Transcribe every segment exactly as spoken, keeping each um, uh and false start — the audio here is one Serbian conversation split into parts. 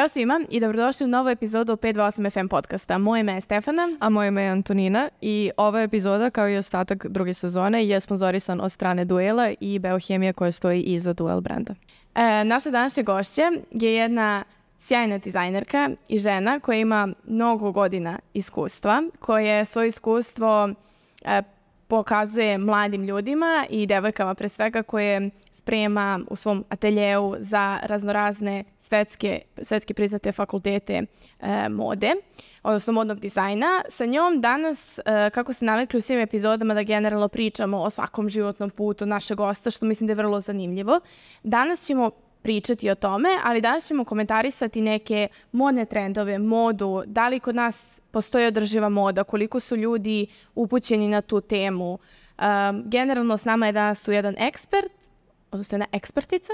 Ćao svima i dobrodošli u novu epizodu pet dva osam F M podcasta. Moje ime je Stefana. A moje ime je Antonina i ova epizoda, kao i ostatak druge sezone, je sponzorisan od strane Duela i Biohemije koja stoji iza Duel brenda. E, naša današnja gošća je jedna sjajna dizajnerka i žena koja ima mnogo godina iskustva, koje svoje iskustvo e, pokazuje mladim ljudima i devojkama pre svega koje sprema u svom ateljeu za raznorazne svetske, svetske priznate fakultete e, mode, odnosno modnog dizajna. Sa njom danas, e, kako se navikli u svim epizodama da generalno pričamo o svakom životnom putu našeg gosta, što mislim da je vrlo zanimljivo. Danas ćemo pričati o tome, ali danas ćemo komentarisati neke modne trendove, modu, da li kod nas postoji održiva moda, koliko su ljudi upućeni na tu temu. Um, generalno s nama je danas tu jedan ekspert, odnosno jedna ekspertica,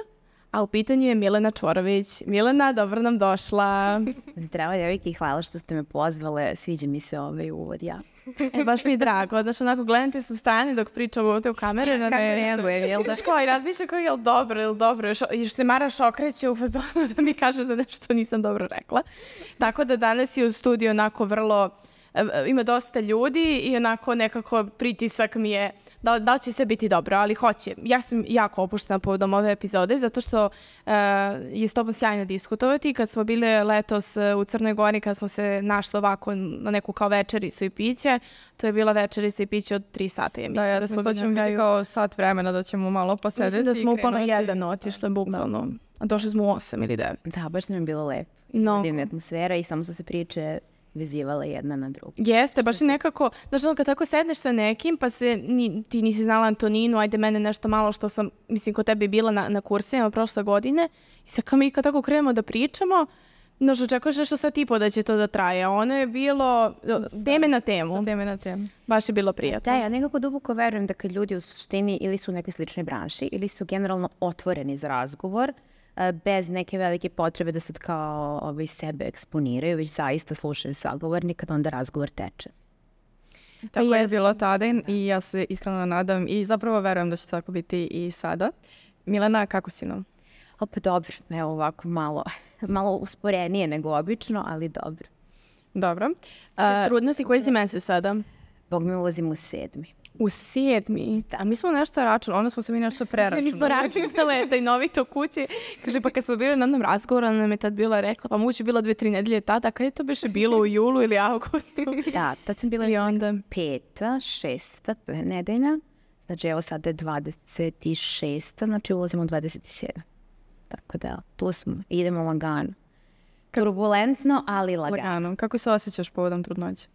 a u pitanju je Milena Čvorović. Milena, dobro nam došla. Zdravo, devojke, i hvala što ste me pozvale. Sviđa mi se ovaj uvod, ja. E, baš mi je drago. Znaš, onako, gledam te sa strane dok pričam ovdje u kamere. Kako reagujem, jel da? Znaš ko, i razmišljam kao je li dobro, je li dobro. Još, još se Maraš okreće u fazonu da mi kaže da nešto nisam dobro rekla. Tako da danas je u studiju onako vrlo... Ima dosta ljudi i onako nekako pritisak mi je da, da li će sve biti dobro, ali hoće. Ja sam jako opuštena povodom ove epizode zato što uh, je s tobom sjajno diskutovati. Kad smo bile letos u Crnoj Gori, kad smo se našli ovako na neku kao večericu i piće, to je bila večerica i piće od tri sata. Ja mislim, da, ja da smo da ćemo biti kao sat vremena da ćemo malo posedeti. Mislim da smo upalo jedan otišli, bukvalno. A došli smo u osam ili devet. Da, baš nam je bilo lepo. No. Divna atmosfera i samo su se priče vezivala jedna na drugu. Jeste, baš i nekako, znaš, kad tako sedneš sa nekim, pa se, ni, ti nisi znala Antoninu, ajde mene nešto malo što sam, mislim, kod tebe bila na, na kursima prošle godine, i sad kao mi kad tako krenemo da pričamo, znaš, očekuješ nešto sad tipo da će to da traje, a ono je bilo teme na temu. Sa teme na temu. Baš je bilo prijatno. Da, ja nekako duboko verujem da kad ljudi u suštini ili su u nekoj sličnoj branši, ili su generalno otvoreni za razgovor, bez neke velike potrebe da sad kao ovaj, sebe eksponiraju, već zaista slušaju sagovornika, da onda razgovor teče. Tako je bilo tada i ja se iskreno nadam i zapravo verujem da će tako biti i sada. Milena, kako si nam? Opet dobro, evo ovako malo, malo usporenije nego obično, ali dobro. Dobro. Uh, Trudna si, koji si mesec sada? Bog mi ulazim u sedmi. U sedmi? A mi smo nešto računali, onda smo se mi nešto preračunali. Mi smo računali taj novito kući. Kaže, pa kad smo bili na jednom razgovoru, ona nam je tad bila rekla, pa moguće bilo dve, tri nedelje tada, kad je to biše bilo u julu ili augustu? Da, tad sam bila i onda peta, šesta nedelja, znači evo sada je dvadeset šesta, znači ulazimo u dvadeset sedam. Tako da, tu smo, idemo lagano. Turbulentno, ali lagano. Lagano. Kako se osjećaš povodom trudnoće?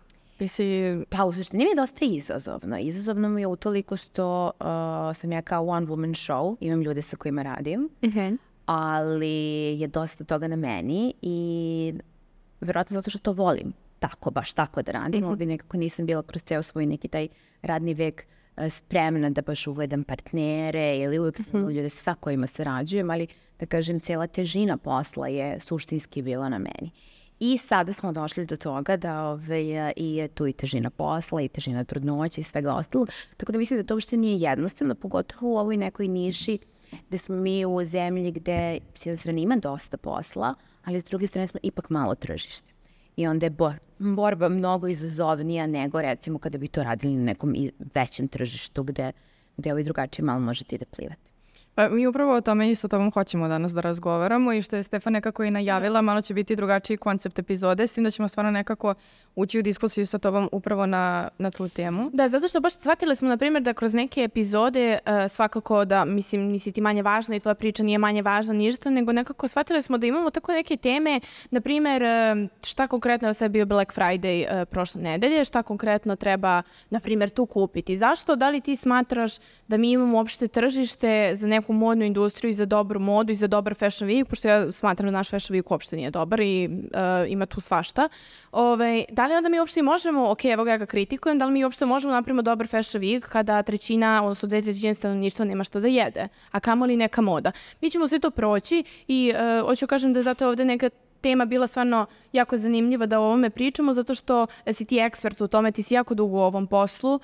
Si... Pa u suštini mi je dosta izazovno. Izazovno mi je utoliko što uh, sam ja kao one woman show, imam ljude sa kojima radim, uh-huh. ali je dosta toga na meni i vjerojatno zato što to volim tako, baš tako da radim. Uh-huh. Ovdje nekako nisam bila kroz ceo svoj neki taj radni vek uh, spremna da baš uvedem partnere ili uvijek sam uh-huh. ljude sa kojima sarađujem, ali da kažem, cijela težina posla je suštinski bila na meni. I sada smo došli do toga da ove, i je tu i težina posla, i težina trudnoće i svega ostalog. Tako da mislim da to uopšte nije jednostavno, pogotovo u ovoj nekoj niši gde smo mi u zemlji gde s jedne strane ima dosta posla, ali s druge strane smo ipak malo tržište. I onda je bor, borba mnogo izazovnija nego recimo kada bi to radili na nekom većem tržištu gde, gde ovaj drugačije malo možete i da plivate. Pa mi upravo o tome i sa tobom hoćemo danas da razgovaramo i što je Stefan nekako i najavila, malo će biti drugačiji koncept epizode, s tim da ćemo stvarno nekako ući u diskusiju sa tobom upravo na, na tu temu. Da, zato što baš shvatili smo, na primjer, da kroz neke epizode uh, svakako da, mislim, nisi ti manje važna i tvoja priča nije manje važna ništa, nego nekako shvatili smo da imamo tako neke teme, na primjer, uh, šta konkretno je sad bio Black Friday uh, prošle nedelje, šta konkretno treba, na primjer, tu kupiti. Zašto? Da li ti smatraš da mi imamo uopšte tržište za neku modnu industriju i za dobru modu i za dobar fashion week, pošto ja smatram da naš fashion week uopšte nije dobar i uh, ima tu svašta. Ove, da li onda mi uopšte možemo, ok, evo ga ja ga kritikujem, da li mi uopšte možemo napravimo dobar fashion week kada trećina, odnosno dve trećine stanovništva nema što da jede, a kamoli neka moda. Mi ćemo sve to proći i uh, hoću kažem da zato je ovde neka tema bila stvarno jako zanimljiva da o ovome pričamo, zato što si ti ekspert u tome, ti si jako dugo u ovom poslu uh,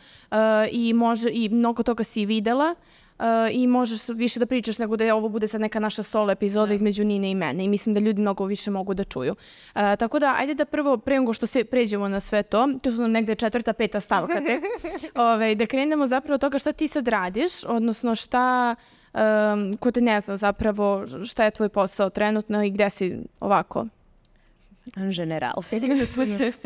i, može, i mnogo toga si videla. uh, i možeš više da pričaš nego da je ovo bude sad neka naša solo epizoda da. između Nine i mene i mislim da ljudi mnogo više mogu da čuju. Uh, tako da, ajde da prvo, pre nego što se pređemo na sve to, to su nam negde četvrta, peta stavka tek, Ove, da krenemo zapravo toga šta ti sad radiš, odnosno šta, um, ko te ne zna zapravo šta je tvoj posao trenutno i gde si ovako? General.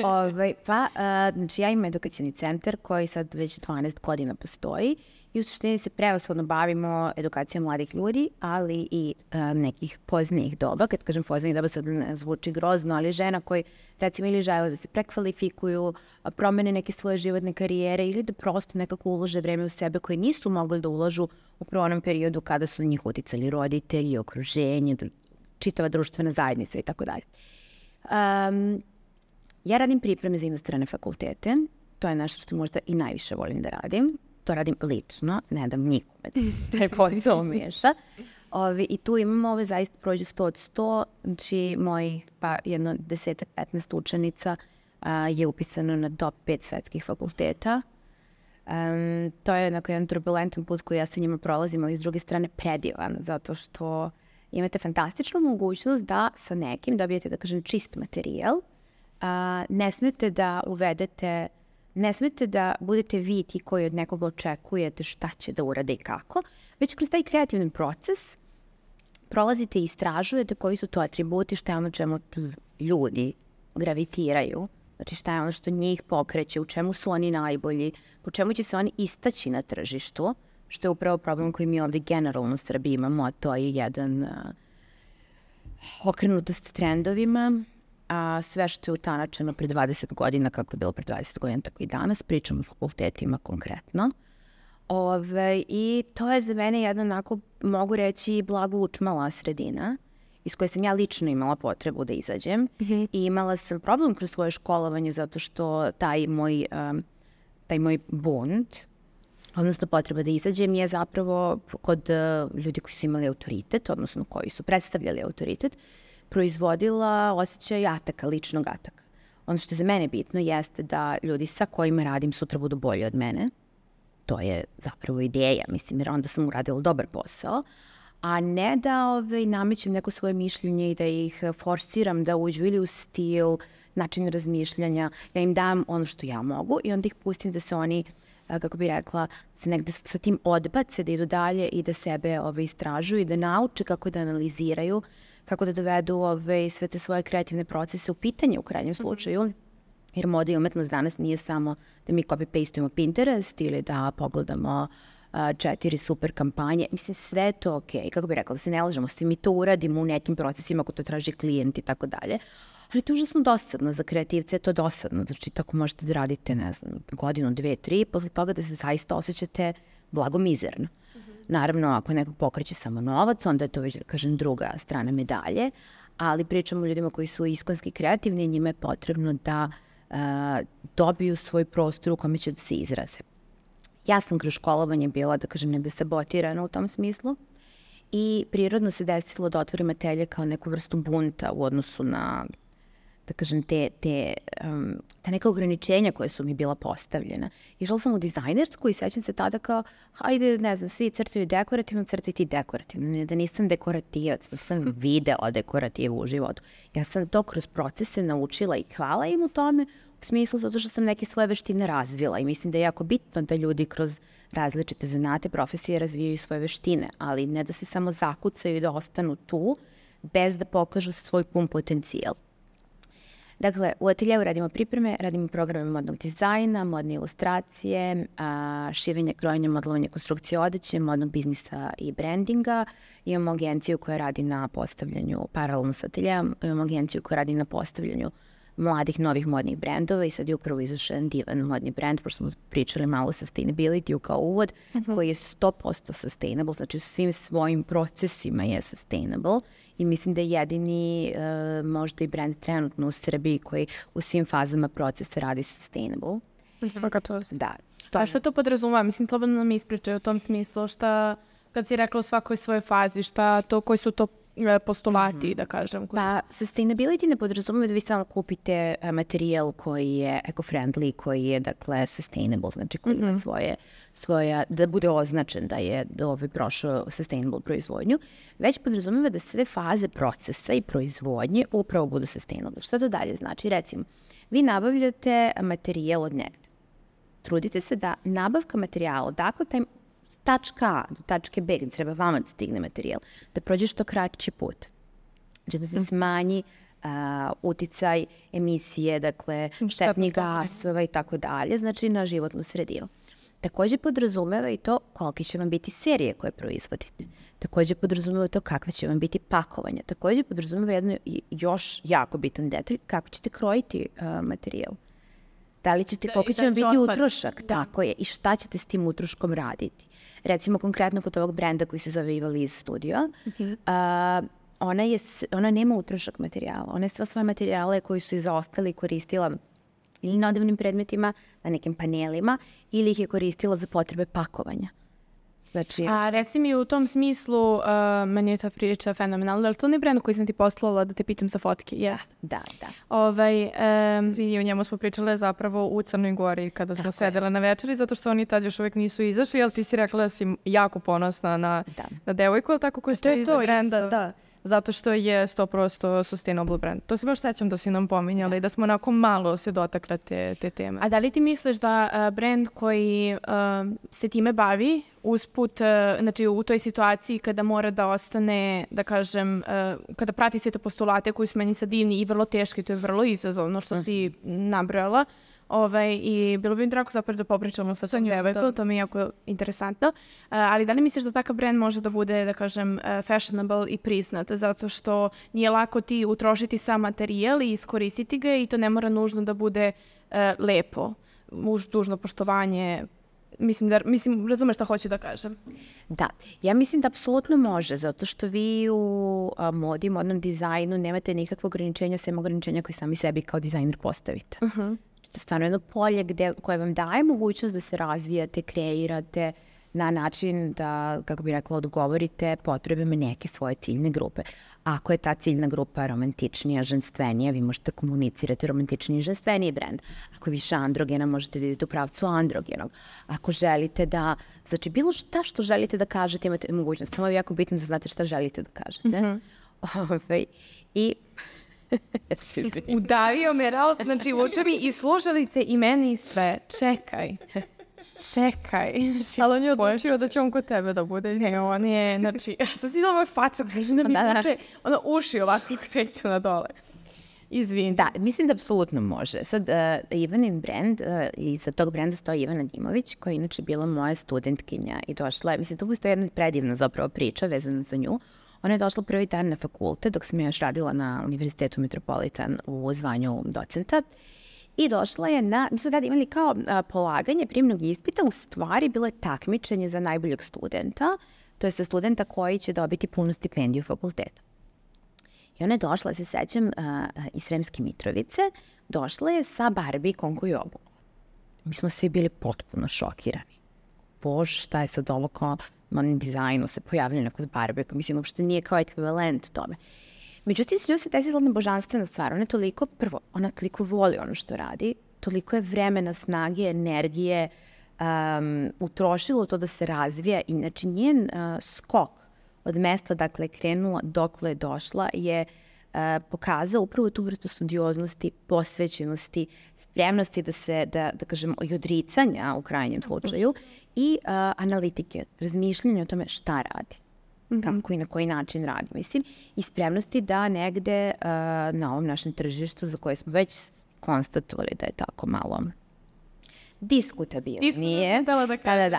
Ove, pa, uh, znači ja imam edukacijni centar koji sad već dvanaest godina postoji i u suštini se prevashodno bavimo edukacijom mladih ljudi, ali i uh, nekih poznijih doba. Kad kažem poznijih doba sad ne zvuči grozno, ali žena koji recimo ili žele da se prekvalifikuju, promene neke svoje životne karijere ili da prosto nekako ulože vreme u sebe koje nisu mogli da ulažu upravo u onom periodu kada su na njih uticali roditelji, okruženje, čitava društvena zajednica i tako dalje. Um, ja radim pripreme za inostrane fakultete, to je nešto što možda i najviše volim da radim, to radim lično, ne dam nikome da se taj posao miješa. Ovi, I tu imamo ove zaista prođu sto od sto, znači mojih pa jedno desetak, petnaest učenica a, je upisano na top pet svetskih fakulteta. Um, to je onako jedan turbulentan put koji ja sa njima prolazim, ali s druge strane predivan, zato što imate fantastičnu mogućnost da sa nekim dobijete, da kažem, čist materijal. A, ne smete da uvedete, ne smete da budete vi ti koji od nekoga očekujete šta će da urade i kako, već kroz taj kreativni proces prolazite i istražujete koji su to atributi, šta je ono čemu ljudi gravitiraju, znači šta je ono što njih pokreće, u čemu su oni najbolji, po čemu će se oni istaći na tržištu, što je upravo problem koji mi ovdje generalno u Srbiji imamo, a to je jedan uh, okrenutost trendovima, a sve što je utanačeno pre dvadeset godina, kako je bilo pre dvadeset godina, tako i danas, pričamo o fakultetima konkretno. Ove, I to je za mene jedna onako, mogu reći, blago učmala sredina, iz koje sam ja lično imala potrebu da izađem. Mm-hmm. I imala sam problem kroz svoje školovanje zato što taj moj, um, taj moj bunt, odnosno potreba da izađem je zapravo kod uh, ljudi koji su imali autoritet, odnosno koji su predstavljali autoritet, proizvodila osjećaj ataka, ličnog ataka. Ono što je za mene bitno jeste da ljudi sa kojima radim sutra budu bolji od mene. To je zapravo ideja, mislim, jer onda sam uradila dobar posao, a ne da ovaj, namećem neko svoje mišljenje i da ih forsiram da uđu ili u stil, način razmišljanja, ja im dam ono što ja mogu i onda ih pustim da se oni, kako bi rekla, se negde sa tim odbace, da idu dalje i da sebe ovaj, istražuju i da nauče kako da analiziraju, kako da dovedu ovaj, sve te svoje kreativne procese u pitanje u krajnjem slučaju. Mm-hmm. Jer moda i umetnost danas nije samo da mi copy-pastujemo Pinterest ili da pogledamo uh, četiri super kampanje. Mislim, sve je to ok. Kako bih rekla, da se ne lažemo, svi mi to uradimo u nekim procesima ako to traži klijent i tako dalje. Ali to je užasno dosadno. Za kreativce je to dosadno. Znači, tako možete da radite, ne znam, godinu, dve, tri, posle toga da se zaista osjećate blagomizerno. Mm-hmm. Naravno, ako nekog pokreće samo novac, onda je to već, da kažem, druga strana medalje. Ali pričamo o ljudima koji su iskonski kreativni i njima je potrebno da Uh, dobiju svoj prostor u kome će da se izraze. Ja sam kroz školovanje bila, da kažem, negde sabotirana u tom smislu i prirodno se desilo da otvorim atelje kao neku vrstu bunta u odnosu na, da kažem, te, te, um, te neka ograničenja koje su mi bila postavljena. Išla sam u dizajnersku i sećam se tada kao, hajde, ne znam, svi crtaju dekorativno, crtaj ti dekorativno. Ne, da nisam dekorativac, da sam videla dekorativu u životu. Ja sam to kroz procese naučila i hvala im u tome, u smislu zato što sam neke svoje veštine razvila i mislim da je jako bitno da ljudi kroz različite zanate, profesije razvijaju svoje veštine, ali ne da se samo zakucaju i da ostanu tu bez da pokažu svoj pun potencijal. Dakle, u ateljevu radimo pripreme, radimo programe modnog dizajna, modne ilustracije, a, šivenje, krojenje, modelovanje, konstrukcije odeće, modnog biznisa i brandinga. Imamo agenciju koja radi na postavljanju, paralelno sa ateljevom, imamo agenciju koja radi na postavljanju mladih novih modnih brendova i sad je upravo izašao divan modni brend, pošto smo pričali malo o sustainability kao uvod, mm-hmm. koji je sto posto sustainable, znači u svim svojim procesima je sustainable i mislim da je jedini uh, možda i brend trenutno u Srbiji koji u svim fazama procesa radi sustainable. Svaka čast. Da. To... A šta to podrazumeva? Mislim, slobodno nam ispričaju u tom smislu, šta, kad si rekla u svakoj svojoj fazi, šta to, koji su to postulati, da kažem. Pa, sustainability ne podrazumeva da vi samo kupite uh, materijal koji je eco-friendly, koji je, dakle, sustainable, znači koji ima svoje, svoja, da bude označen da je ovaj, prošao sustainable proizvodnju, već podrazumeva da sve faze procesa i proizvodnje upravo budu sustainable. Šta to dalje znači? Recimo, vi nabavljate materijal od negde. Trudite se da nabavka materijala, dakle, taj tačka A do tačke B, gde treba vama da stigne materijal, da prođe što kraći put. Znači da se smanji uh, uticaj emisije, dakle, štetnih gasova i tako dalje, znači na životnu sredinu. Takođe podrazumeva i to kolike će vam biti serije koje proizvodite. Takođe podrazumeva to kakve će vam biti pakovanja. Takođe podrazumeva jedno još jako bitan detalj, kako ćete krojiti uh, materijal. Da li ćete, koliko će vam biti utrošak, tako je, i šta ćete s tim utroškom raditi. Recimo, konkretno kod ovog brenda koji se zove Eva Liz Studio, uh-huh. uh, ona, je, ona nema utrošak materijala. Ona je sva svoje materijale koji su izaostali koristila ili na odevnim predmetima, na nekim panelima, ili ih je koristila za potrebe pakovanja. Znači, a reci mi u tom smislu, uh, meni je ta priča fenomenalna, ali to ne brend koji sam ti poslala da te pitam za fotke, jeste? Da, da. Ovaj, um, Svi o njemu smo pričale zapravo u Crnoj Gori kada smo sedela na večeri, zato što oni tad još uvijek nisu izašli, ali ti si rekla da si jako ponosna na, da. na devojku, ali tako koji stoji iza brenda. Isto. Da. Zato što je sto posto sustainable brand. To se baš sećam da si nam pominjala i da smo onako malo se dotakle te, te teme. A da li ti misliš da uh, brand koji uh, se time bavi usput, uh, znači u toj situaciji kada mora da ostane, da kažem, uh, kada prati sve te postulate koji su meni sad divni i vrlo teški, to je vrlo izazovno što si nabrojala, Ovaj, i bilo bi mi drago zapravo da popričamo sa tom devojkom, to mi je jako interesantno. Uh, ali da li misliš da takav brand može da bude, da kažem, uh, fashionable i priznat? Zato što nije lako ti utrošiti sam materijal i iskoristiti ga i to ne mora nužno da bude uh, lepo, uz dužno poštovanje. Mislim, da, mislim, razumeš šta hoću da kažem? Da, ja mislim da apsolutno može, zato što vi u a, modi, modnom dizajnu nemate nikakve ograničenja, sem ograničenja koje sami sebi kao dizajner postavite. Uh-huh. To je stvarno jedno polje gde, koje vam daje mogućnost da se razvijate, kreirate na način da, kako bih rekla, odgovorite potrebama neke svoje ciljne grupe. Ako je ta ciljna grupa romantičnija, ženstvenija, vi možete komunicirati romantičniji i ženstveniji brend. Ako je više androgena, možete da idete u pravcu androgenog. Ako želite da, znači bilo šta što želite da kažete, imate mogućnost. Samo je jako bitno da znate šta želite da kažete. Mm-hmm. Ove, I... Udavio me Ralf, znači uče mi i slušalice i meni i sve. Čekaj. Čekaj. Ali on je odlučio da će on kod tebe da bude. Ne, on je, znači, sad si moj facu, kaže da mi uče, ono uši ovako kreću na dole. Izvini. Da, mislim da apsolutno može. Sad, uh, Ivanin brand, uh, iza tog brenda stoji Ivana Dimović, koja je inače bila moja studentkinja i došla je, mislim, to postoji jedna predivna zapravo priča vezana za nju. Ona je došla prvi dan na fakultet, dok sam ja još radila na Univerzitetu Metropolitan u zvanju docenta. I došla je na, mi smo tada imali kao a, polaganje prijemnog ispita, u stvari bilo je takmičenje za najboljeg studenta, to je sa studenta koji će dobiti punu stipendiju fakulteta. I ona je došla, se sećam, a, iz Sremske Mitrovice, došla je sa barbikom koju je obukla. Mi smo svi bili potpuno šokirani. Bože, šta je sad ovo kao modnom dizajnu se pojavljaju neko s barbikom, mislim, uopšte nije kao ekvivalent tome. Međutim, s njom se desila jedna božanstvena stvar. Ona je toliko, prvo, ona toliko voli ono što radi, toliko je vremena, snage, energije um, utrošilo to da se razvija. I znači njen uh, skok od mesta, dakle, krenula dokle je došla, je uh, pokazao upravo tu vrstu studioznosti, posvećenosti, spremnosti da se, da, da kažemo, i odricanja u krajnjem slučaju i uh, analitike, razmišljanja o tome šta radi. Mm-hmm. Kako i na koji način radi, mislim, i spremnosti da negde uh, na ovom našem tržištu za koje smo već konstatovali da je tako malo diskutabilno. Nije. Da, da, kažem. Da, da.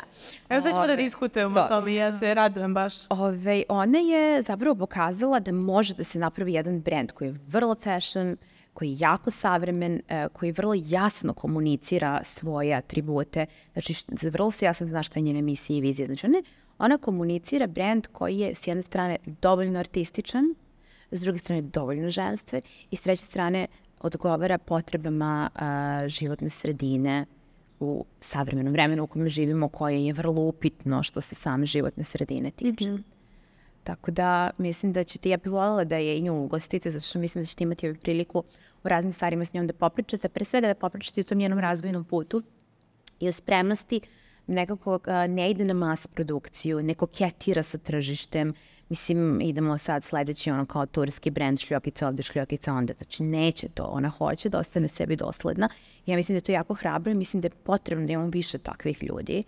Evo sad ćemo da diskutujemo o tome, ja se radujem baš. Ove, ona je zapravo pokazala da može da se napravi jedan brand koji je vrlo fashion, koji je jako savremen, koji vrlo jasno komunicira svoje atribute, znači vrlo se jasno zna šta je njena misija i vizija. Znači ona, ona komunicira brand koji je s jedne strane dovoljno artističan, s druge strane dovoljno ženstven i s treće strane odgovara potrebama a, životne sredine u savremenom vremenu u kojem živimo, koje je vrlo upitno što se same životne sredine tiče. Mm-hmm. Tako da mislim da ćete, ja bih voljela da je i nju ugostite, zato što mislim da ćete imati priliku u raznim stvarima s njom da popričate, pre svega da popričate o tom njenom razvojnom putu i o spremnosti nekako ne ide na mas produkciju, ne koketira sa tržištem. Mislim, idemo sad sledeći ono kao turski brend šljokica ovde, šljokica onda. Znači, neće to. Ona hoće da ostane sebi dosledna. Ja mislim da je to jako hrabro i mislim da je potrebno da imamo više takvih ljudi.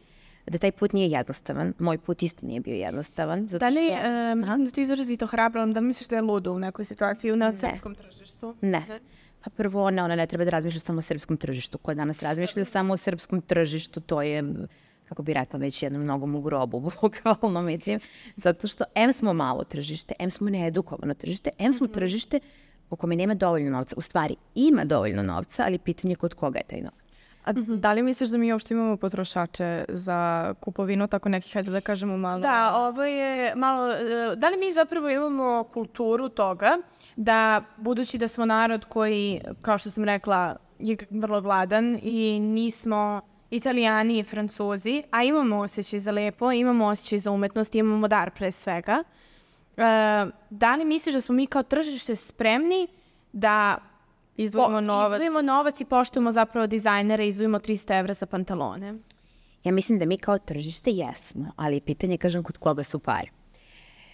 Da taj put nije jednostavan. Moj put isto nije bio jednostavan. Zato da li, što... e, mislim da ti izrazito hrabro, da misliš da je ludo u nekoj situaciji na srpskom tržištu? Ne. Pa prvo, ona, ona ne treba da razmišlja samo o srpskom tržištu. Ko danas razmišlja samo o srpskom tržištu, to je... kako bi rekla, već jednom nogom u grobu, bukvalno mislim, zato što em smo malo tržište, em smo needukovano tržište, em smo tržište u kome nema dovoljno novca. U stvari, ima dovoljno novca, ali pitanje je kod koga je taj novac. A da li misliš da mi uopšte imamo potrošače za kupovinu tako nekih, hajde da kažemo malo... Da, ovo je malo... Da li mi zapravo imamo kulturu toga da, budući da smo narod koji, kao što sam rekla, je vrlo gladan i nismo... Italijani i Francuzi, a imamo osjećaj za lepo, imamo osjećaj za umetnost, imamo dar pre svega. E, da li misliš da smo mi kao tržište spremni da izdvojimo po, novac. izdvojimo novac i poštujemo zapravo dizajnere i izdvojimo trista evra za pantalone? Ja mislim da mi kao tržište jesmo, ali pitanje, kažem, kod koga su pare.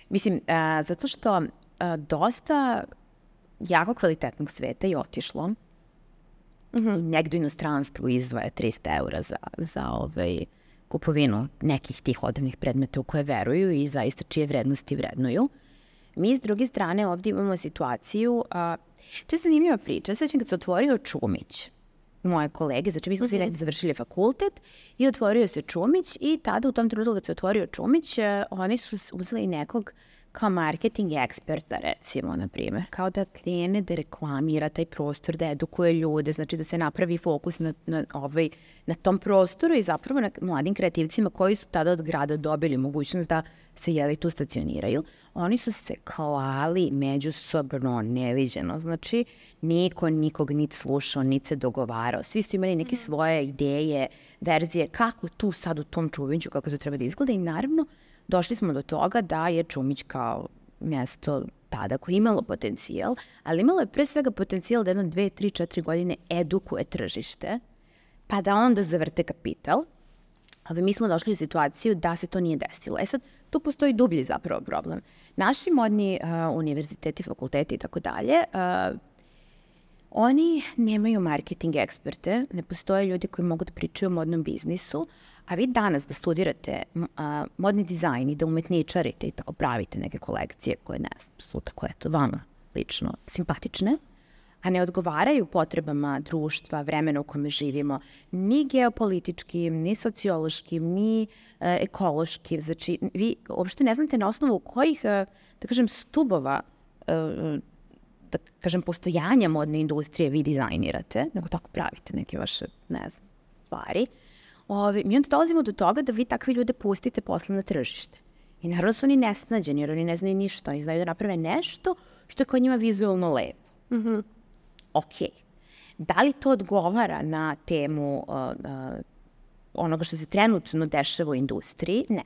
Mislim, a, zato što a, dosta jako kvalitetnog sveta je otišlo. Mm-hmm. I negdje u inostranstvu izdvaja trista eura za, za ovaj, kupovinu nekih tih odavnih predmeta u koje veruju i zaista čije vrednosti vrednuju. Mi s druge strane ovdje imamo situaciju, a, to je zanimljiva priča, sećam kad se otvorio Čumić, moje kolege, znači mi smo svi negdje završili fakultet i otvorio se Čumić i tada u tom trenutku kad se otvorio Čumić, oni su uzeli nekog kao marketing eksperta, recimo, na primjer. Kao da krene da reklamira taj prostor, da edukuje ljude, znači da se napravi fokus na, na, ovaj, na tom prostoru i zapravo na mladim kreativcima koji su tada od grada dobili mogućnost da se jeli tu stacioniraju. Oni su se klali međusobno neviđeno. Znači, niko nikog niti slušao, niti se dogovarao. Svi su imali neke svoje ideje, verzije, kako tu sad u tom Čumiću, kako to treba da izgleda i naravno došli smo do toga da je Čumić kao mjesto tada koje je imalo potencijal, ali imalo je pre svega potencijal da jedno dve, tri, četiri godine edukuje tržište, pa da onda zavrte kapital. Ali mi smo došli u situaciju da se to nije desilo. E sad, tu postoji dublji zapravo problem. Naši modni uh, univerziteti, fakulteti i tako dalje, uh, oni nemaju marketing eksperte, ne postoje ljudi koji mogu da pričaju o modnom biznisu, a vi danas da studirate a, modni dizajn i da umetničarite i tako pravite neke kolekcije koje ne su tako eto vama lično simpatične, a ne odgovaraju potrebama društva, vremena u kome živimo, ni geopolitičkim, ni sociološkim, ni e, ekološkim. Znači, vi uopšte ne znate na osnovu kojih, e, da kažem, stubova e, da kažem, postojanja modne industrije vi dizajnirate, nego tako pravite neke vaše, ne znam, stvari. Ove, mi onda dolazimo do toga da vi takve ljude pustite posle na tržište. I naravno su oni nesnađeni, jer oni ne znaju ništa. Oni znaju da naprave nešto što je kod njima vizualno lepo. Mm-hmm. Ok. Da li to odgovara na temu uh, uh, onoga što se trenutno dešava u industriji? Ne.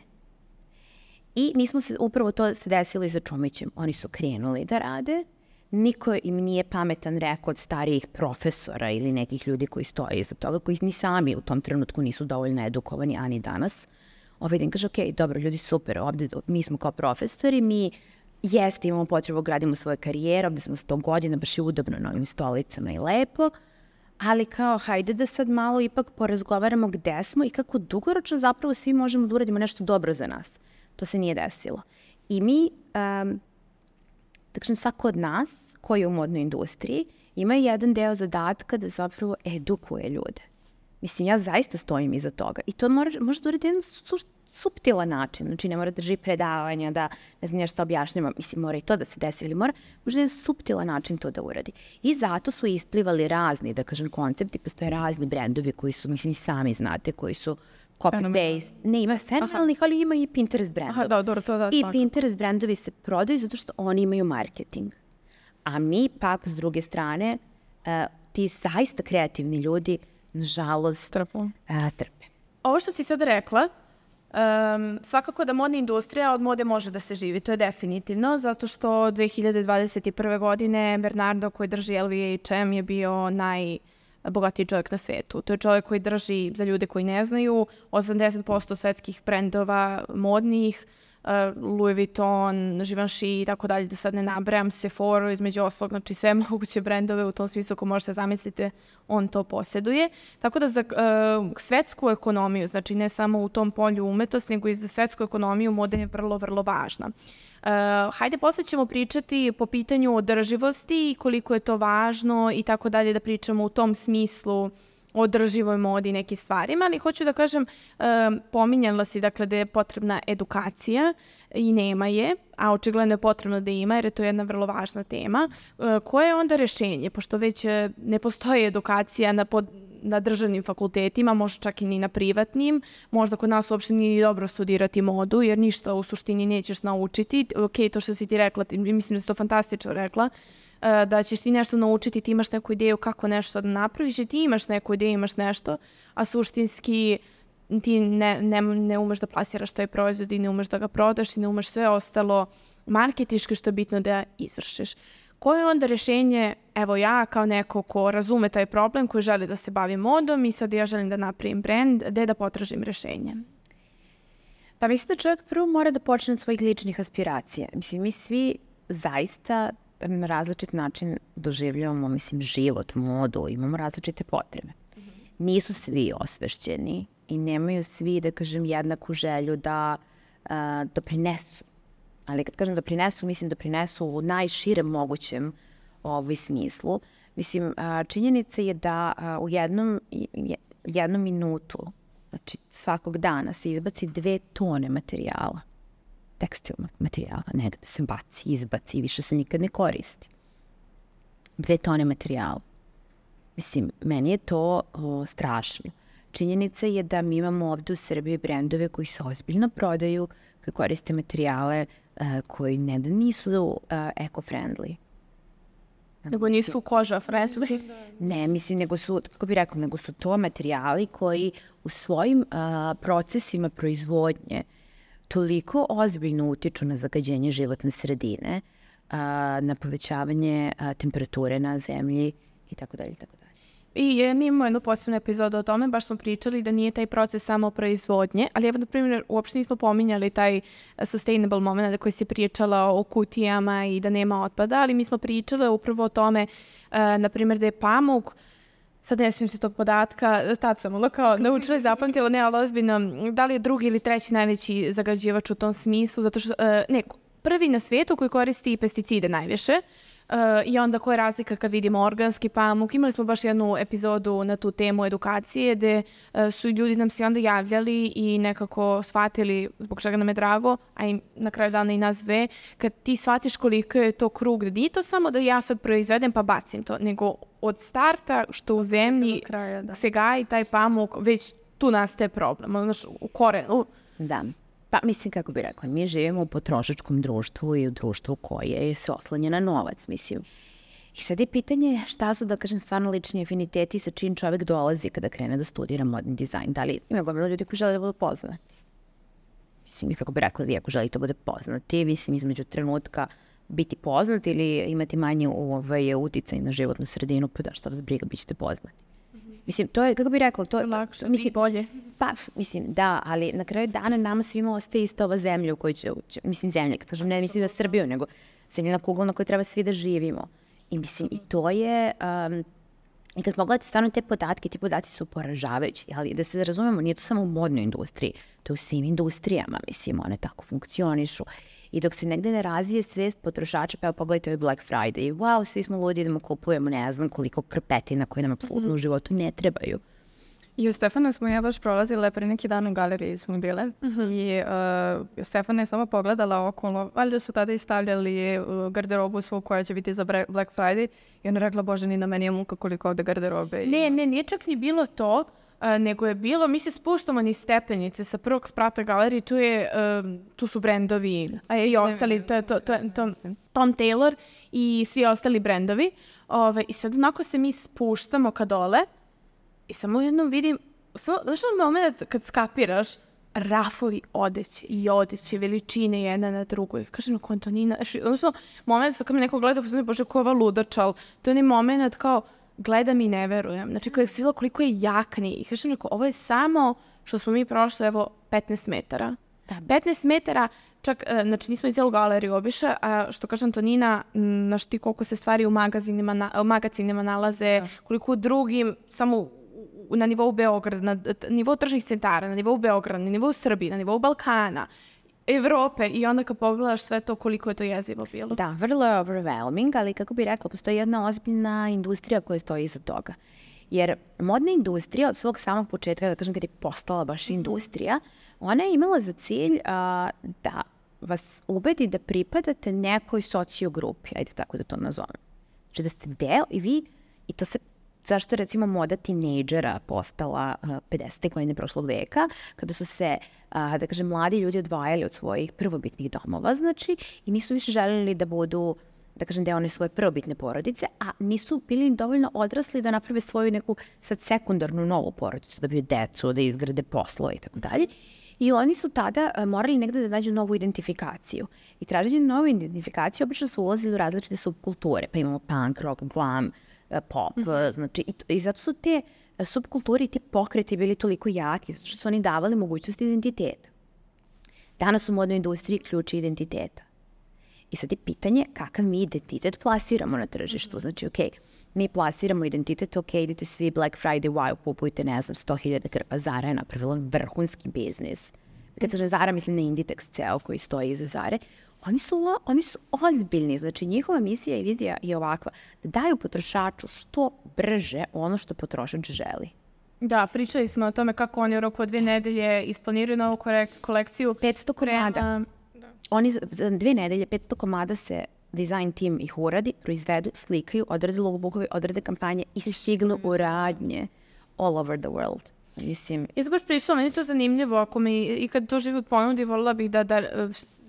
I mi smo se, upravo to se desilo i sa Čumićem. Oni su krenuli da rade. Niko im nije pametan rekao od starijih profesora ili nekih ljudi koji stoje iza toga, koji ni sami u tom trenutku nisu dovoljno edukovani, a ni danas. Ovaj dan kaže, ok, dobro, ljudi, super, ovde mi smo kao profesori, mi jeste imamo potrebu, gradimo svoje karijere, ovde smo sto godina, baš je udobno na ovim stolicama i lepo, ali kao, hajde da sad malo ipak porazgovaramo gde smo i kako dugoročno zapravo svi možemo da uradimo nešto dobro za nas. To se nije desilo. I mi... Um, Dakle, svako od nas koji je u modnoj industriji ima jedan deo zadatka da zapravo edukuje ljude. Mislim, ja zaista stojim iza toga. I to mora, može da uradi jedan su, suptilan način. Znači, ne mora da drži predavanja, da ne znam nešto objašnjava. Mislim, mora i to da se desi, ali mora možda jedan suptilan način to da uradi. I zato su isplivali razni, da kažem, koncepti. Postoje razni brendovi koji su, mislim, sami znate, koji su copy-paste. Ne, ima fenomenalnih, ali ima i Pinterest brendova. Aha, da, dobro, to da. I svako. Pinterest brendovi se prodaju zato što oni imaju marketing. A mi pak, s druge strane, uh, ti zaista kreativni ljudi, nažalost, Trpu. uh, trpe. Ovo što si sada rekla, Um, svakako da modna industrija od mode može da se živi, to je definitivno, zato što dve hiljade dvadeset prve. godine Bernardo koji drži L V H M je bio najbogatiji čovjek na svetu. To je čovjek koji drži, za ljude koji ne znaju, osamdeset posto svetskih brendova modnih, uh, Louis Vuitton, Givenchy i tako dalje, da sad ne nabrajam, Sephora, između oslog, znači sve moguće brendove u tom smislu, ako možete zamislite, on to posjeduje. Tako da za uh, svetsku ekonomiju, znači ne samo u tom polju umetnosti, nego i za svetsku ekonomiju moda je vrlo, vrlo važna. Uh, hajde, posle ćemo pričati po pitanju održivosti i koliko je to važno i tako dalje, da pričamo u tom smislu o održivoj modi i nekim stvarima, ali hoću da kažem, uh, pominjala si dakle da je potrebna edukacija i nema je, a očigledno je potrebno da ima jer je to jedna vrlo važna tema. Uh, koje je onda rešenje? Pošto već uh, ne postoji edukacija na, pod, na državnim fakultetima, možda čak i ni na privatnim, možda kod nas uopšte nije dobro studirati modu jer ništa u suštini nećeš naučiti. Ok, to što si ti rekla, ti, mislim da si to fantastično rekla, da ćeš ti nešto naučiti, ti imaš neku ideju kako nešto da napraviš i ti imaš neku ideju, imaš nešto, a suštinski ti ne, ne, ne umeš da plasiraš taj proizvod i ne umeš da ga prodaš i ne umeš sve ostalo marketički što je bitno da izvršiš. Koje je onda rešenje, evo ja kao neko ko razume taj problem, koji želi da se bavi modom i sad ja želim da napravim brand, gde da potražim rešenje? Pa mislim da čovjek prvo mora da počne od svojih ličnih aspiracija. Mislim, mi svi zaista na različit način doživljavamo, mislim, život, modu, imamo različite potrebe. Mm-hmm. Nisu svi osvešćeni i nemaju svi, da kažem, jednaku želju da uh, doprinesu. Ali kad kažem doprinesu, mislim doprinesu u najširem mogućem ovaj smislu. Mislim, uh, činjenica je da uh, u jednom, jednom minutu, znači svakog dana se izbaci dve tone materijala, tekstilnog materijala, negde se baci, izbaci i više se nikad ne koristi. Dve tone materijala. Mislim, meni je to o, strašno. Činjenica je da mi imamo ovde u Srbiji brendove koji se ozbiljno prodaju, koji koriste materijale uh, koji ne da nisu uh, eco-friendly. Nego nisu koža friendly. Ne, mislim, nego su, kako bih rekla, nego su to materijali koji u svojim uh, procesima proizvodnje toliko ozbiljno utiču na zagađenje životne sredine, a, na povećavanje a, temperature na zemlji i tako dalje, tako dalje. I je, mi imamo jednu posebnu epizodu o tome, baš smo pričali da nije taj proces samo proizvodnje, ali evo, na primjer, uopšte nismo pominjali taj sustainable moment koji si pričala o kutijama i da nema otpada, ali mi smo pričali upravo o tome, a, na primjer, da je pamuk, sad ne svijem se tog podatka, tad sam ono kao naučila i zapamtila, ne, ali ozbiljno, da li je drugi ili treći najveći zagađivač u tom smislu, zato što, ne, prvi na svijetu koji koristi pesticide najviše, uh, i onda koja je razlika kad vidimo organski pamuk. Imali smo baš jednu epizodu na tu temu edukacije gde uh, su ljudi nam se onda javljali i nekako shvatili, zbog čega nam je drago, a i na kraju dana i nas dve, kad ti shvatiš koliko je to krug, da nije to samo da ja sad proizvedem pa bacim to, nego od starta što u zemlji kraja, da. se gaji taj pamuk, već tu nastaje problem, znaš, u korenu. Da. Pa mislim, kako bi rekla, mi živimo u potrošačkom društvu i u društvu koje se oslanja na novac, mislim. I sad je pitanje šta su, da kažem, stvarno lični afiniteti sa čim čovjek dolazi kada krene da studira modni dizajn. Da li ima gomila ljudi koji žele da budu poznati? Mislim, kako bi rekla, vi ako želite da bude poznati, mislim, između trenutka biti poznat ili imati manje ovaj, uticaj na životnu sredinu, pa da šta vas briga, bit ćete poznati. Mislim, to je, kako bih rekla, to je... Lakše, mislim, bolje. Pa, mislim, da, ali na kraju dana nama svima ostaje isto ova zemlja u kojoj će, mislim, zemlja, kad kažem, ne mislim da Srbiju, nego zemljena kugla na kojoj treba svi da živimo. I mislim, i to je... Um, I kad pogledate stvarno te podatke, ti podaci su poražavajući, ali da se razumemo, nije to samo u modnoj industriji, to je u svim industrijama, mislim, one tako funkcionišu. I dok se negde ne razvije svest potrošača, pa evo pogledajte ovaj Black Friday, wow, svi smo ludi da mu kupujemo ne znam koliko krpetina koje nam apsolutno mm-hmm. u životu ne trebaju. I u Stefana smo ja baš prolazile pre neki dan u galeriji smo bile mm-hmm. i uh, Stefana je samo pogledala okolo, valjda su tada i stavljali uh, garderobu svu koja će biti za Black Friday i ona rekla, bože, ni na meni je muka koliko ovde garderobe. Ne, ne, nije čak ni bilo to, uh, nego je bilo, mi se spuštamo niz stepenice sa prvog sprata galerije, tu, je, uh, tu su brendovi, a i ostali, to je to, to, to, Tom Taylor i svi ostali brendovi. Ove, I sad onako se mi spuštamo ka dole, i samo jednom vidim, samo, znaš ono moment kad skapiraš rafovi odeće i odeće, veličine jedna na drugoj. Kažem, ako Antonina, odnosno, moment kad me neko gleda, bože, ko je ova ludačal, to je onaj moment kao, gledam i ne verujem. Znači, kada je svila koliko je jakni. I kažem, ovo je samo što smo mi prošli, evo, petnaest metara. petnaest metara, čak, znači nismo i cijelu galeriju obišla, a što kaže Antonina, znaš ti koliko se stvari u magazinima, na, magazinima nalaze, koliko u drugim, samo na nivou Beograda, na nivou tržnih centara, na nivou Beograda, na nivou Srbije, na nivou Balkana, Evrope i onda kad pogledaš sve to koliko je to jezivo bilo. Da, vrlo je overwhelming, ali kako bi rekla, postoji jedna ozbiljna industrija koja stoji iza toga. Jer modna industrija od svog samog početka, da kažem kad je postala baš industrija, ona je imala za cilj a, da vas ubedi da pripadate nekoj sociogrupi, ajde tako da to nazovem. Znači da ste deo i vi, i to se, zašto recimo moda tinejdžera postala a, pedesetih godine prošlog veka, kada su se, a, da kažem, mladi ljudi odvajali od svojih prvobitnih domova, znači, i nisu više željeli da budu, da kažem, deo one svoje prvobitne porodice, a nisu bili dovoljno odrasli da naprave svoju neku sad sekundarnu novu porodicu, da bi decu, da izgrade poslove i tako dalje. I oni su tada uh, morali negde da nađu novu identifikaciju. I traženje nove identifikacije obično su ulazili u različite subkulture. Pa imamo punk, rock, glam, uh, pop. Mm -hmm. Znači, i, i zato su te uh, subkulture i te pokreti bili toliko jaki, zato što su oni davali mogućnost identiteta. Danas u modnoj industriji ključ identiteta. I sad je pitanje kakav mi identitet plasiramo na tržištu. Znači, ok, mi plasiramo identitet, ok, idete svi Black Friday, wow, kupujte, ne znam, sto hiljada krpa. Zara je napravila vrhunski biznis. Kada kažem Zara, mislim na Inditex ceo koji stoji iza Zare. Oni su, oni su ozbiljni, znači njihova misija i vizija je ovakva, da daju potrošaču što brže ono što potrošač želi. Da, pričali smo o tome kako oni u roku od dvije nedelje isplaniraju novu kolekciju. petsto komada. Oni za dvije nedelje, petsto komada se design tim ih uradi, proizvedu, slikaju, odrade logobookove, odrade kampanje i stignu u radnje all over the world. Mislim... Ja sam baš pričala, meni je to zanimljivo, ako mi i kad to život ponudi, volila bih da, da